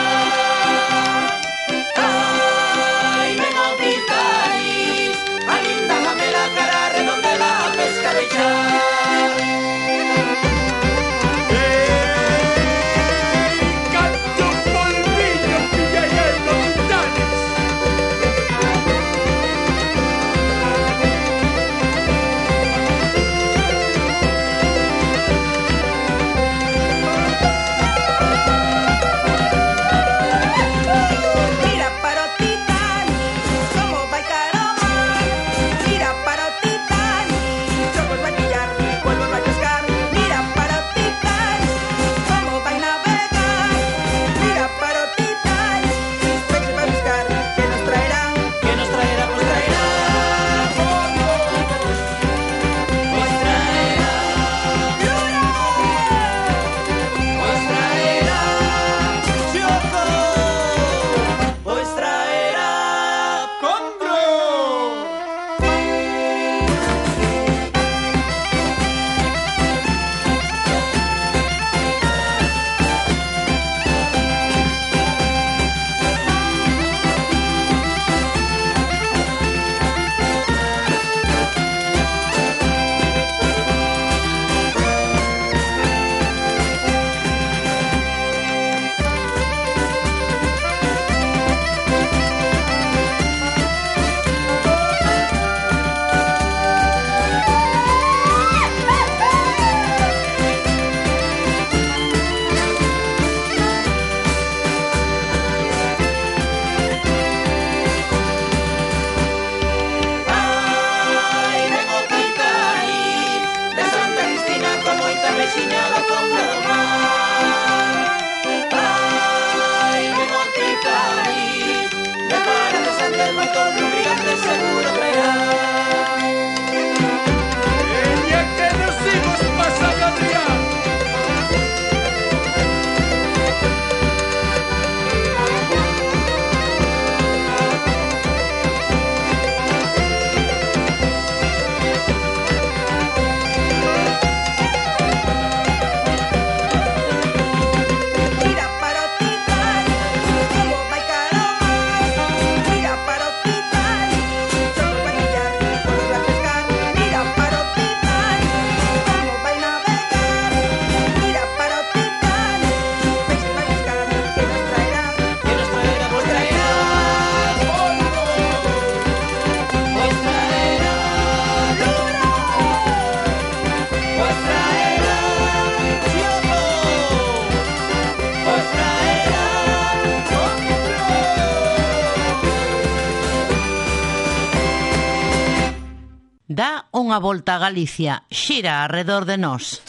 Ay, vengo Titanis, alíndame la cara, redonde la pesca de char. Canto polvillo, pilla y el Titanis. Dá unha volta a Galicia, xira arredor de nós.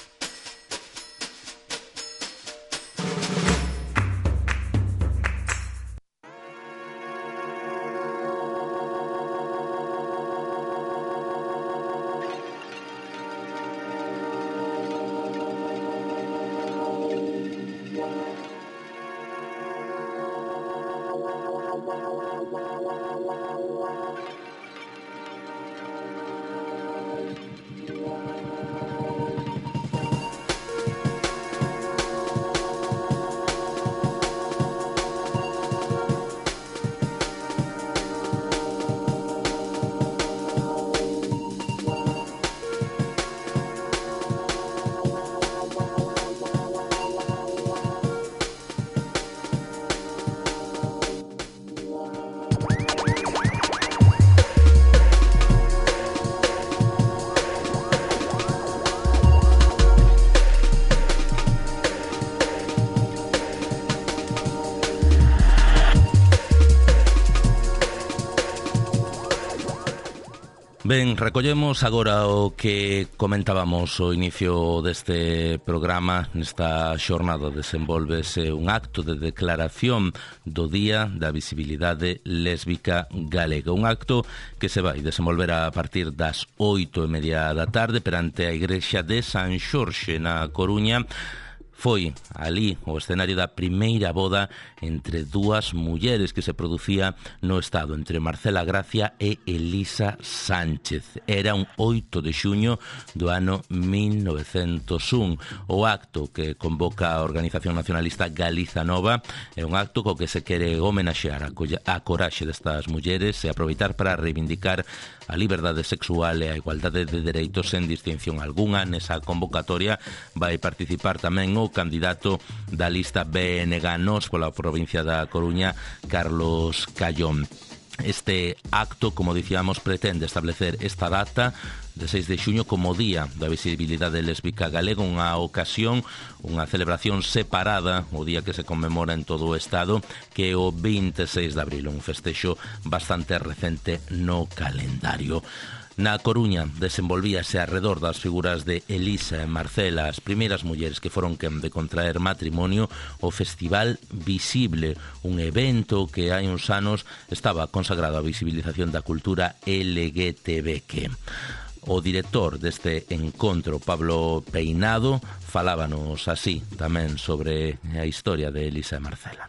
Ben, recollemos agora o que comentábamos ao inicio deste programa. Nesta xornada desenvolvese un acto de declaración do Día da Visibilidade Lésbica Galega. Un acto que se vai desenvolver a partir das 8:30 da tarde perante a Igrexa de San Xorxe na Coruña. Foi ali o escenario da primeira boda entre dúas mulleres que se producía no Estado, entre Marcela Gracia e Elisa Sánchez. Era un 8 de xuño do ano 1901. O acto que convoca a Organización Nacionalista Galiza Nova é un acto co que se quere homenaxear a coraxe destas mulleres e aproveitar para reivindicar a liberdade sexual e a igualdade de dereitos sen distinción algunha. Nesa convocatoria vai participar tamén o candidato da lista BNG Nos pola provincia da Coruña, Carlos Callón. Este acto, como dicíamos, pretende establecer esta data de 6 de xuño como Día da Visibilidade Lésbica Galega, unha ocasión, unha celebración separada, o día que se conmemora en todo o Estado, que é o 26 de abril, un festexo bastante recente no calendario. Na Coruña desenvolvíase arredor das figuras de Elisa e Marcela, as primeiras mulleres que foron quen de contraer matrimonio, o Festival Visible, un evento que hai uns anos estaba consagrado á visibilización da cultura LGTBQ. O director deste encontro, Pablo Peinado, falábanos así tamén sobre a historia de Elisa e Marcela.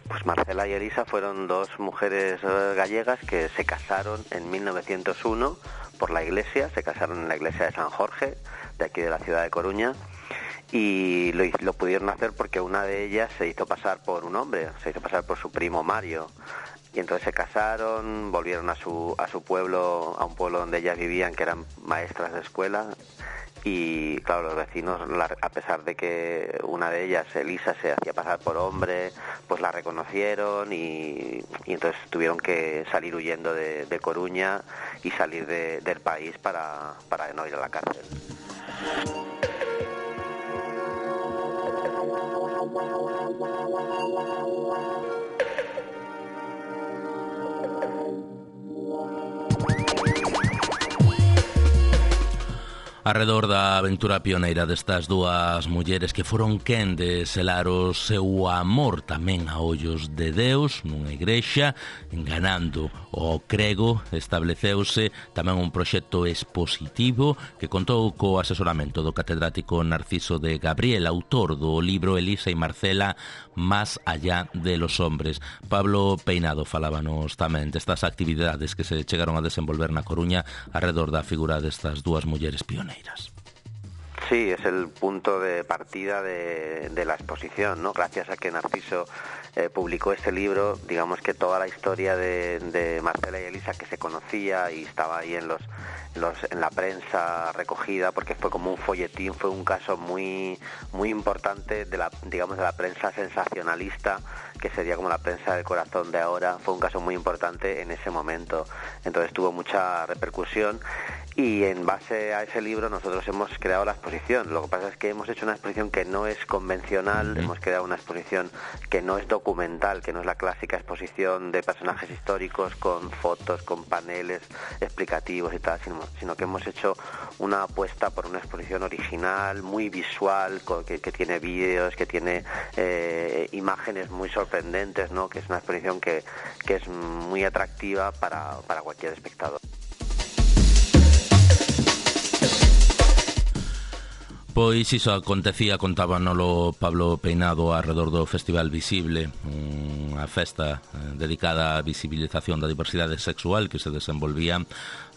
Pues Marcela y Elisa fueron dos mujeres gallegas que se casaron en 1901 por la iglesia, se casaron en la iglesia de San Jorge, de aquí de la ciudad de Coruña, y lo pudieron hacer porque una de ellas se hizo pasar por un hombre, se hizo pasar por su primo Mario, y entonces se casaron, volvieron a su pueblo, a un pueblo donde ellas vivían, que eran maestras de escuela. Y claro, los vecinos, a pesar de que una de ellas, Elisa, se hacía pasar por hombre, pues la reconocieron y entonces tuvieron que salir huyendo de Coruña y salir del país para no ir a la cárcel. Arredor da aventura pioneira destas dúas mulleres que foron quen de selar o seu amor tamén a ollos de Deus nunha igrexa, enganando o crego, estableceuse tamén un proxecto expositivo que contou co asesoramento do catedrático Narciso de Gabriel, autor do libro Elisa y Marcela, Más allá de los hombres. Pablo Peinado falábanos tamén destas actividades que se chegaron a desenvolver na Coruña arredor da figura destas dúas mulleres pioneiras. Sí, es el punto de partida de la exposición, ¿no? Gracias a que Narciso publicó este libro, digamos que toda la historia de Marcela y Elisa, que se conocía y estaba ahí en la prensa recogida, porque fue como un folletín, fue un caso muy muy importante de la prensa sensacionalista, que sería como la prensa del corazón de ahora. Fue un caso muy importante en ese momento, entonces tuvo mucha repercusión. Y en base a ese libro nosotros hemos creado la exposición. Lo que pasa es que hemos hecho una exposición que no es convencional, hemos creado una exposición que no es documental, que no es la clásica exposición de personajes históricos con fotos, con paneles explicativos y tal, sino que hemos hecho una apuesta por una exposición original, muy visual, que tiene vídeos, que tiene imágenes muy sorprendentes, ¿no? Que es una exposición que es muy atractiva para cualquier espectador. Pois iso acontecía, contábanolo Pablo Peinado arredor do Festival Visible, unha festa dedicada á visibilización da diversidade sexual que se desenvolvía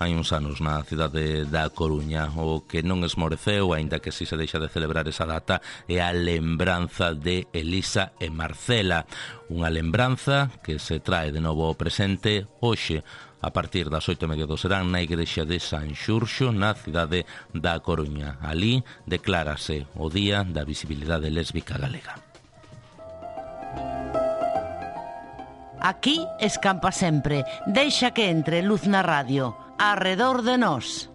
hai uns anos na cidade da Coruña. O que non esmoreceu, aínda que si se deixa de celebrar esa data, é a lembranza de Elisa e Marcela, unha lembranza que se trae de novo ao presente hoxe a partir das 8:30 do serán na igrexa de San Xurxo, na cidade da Coruña. Alí declárase o Día da Visibilidade Lésbica Galega. Aquí escampa sempre, deixa que entre luz na radio, arredor de nós.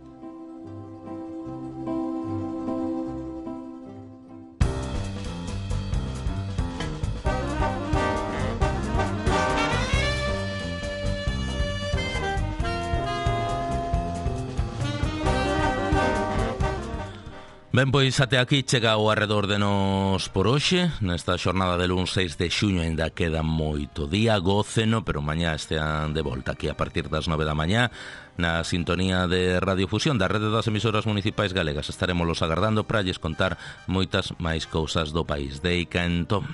Ben, pois até aquí chega o arredor de nós por hoxe. Nesta xornada de luns 6 de xuño ainda queda moito día, góceno, pero mañá estean de volta aquí a partir das 9 da mañá na sintonía de Radiofusión da Rede das Emisoras Municipais Galegas. Estaremos los agardando para lles contar moitas máis cousas do país. Deica entón.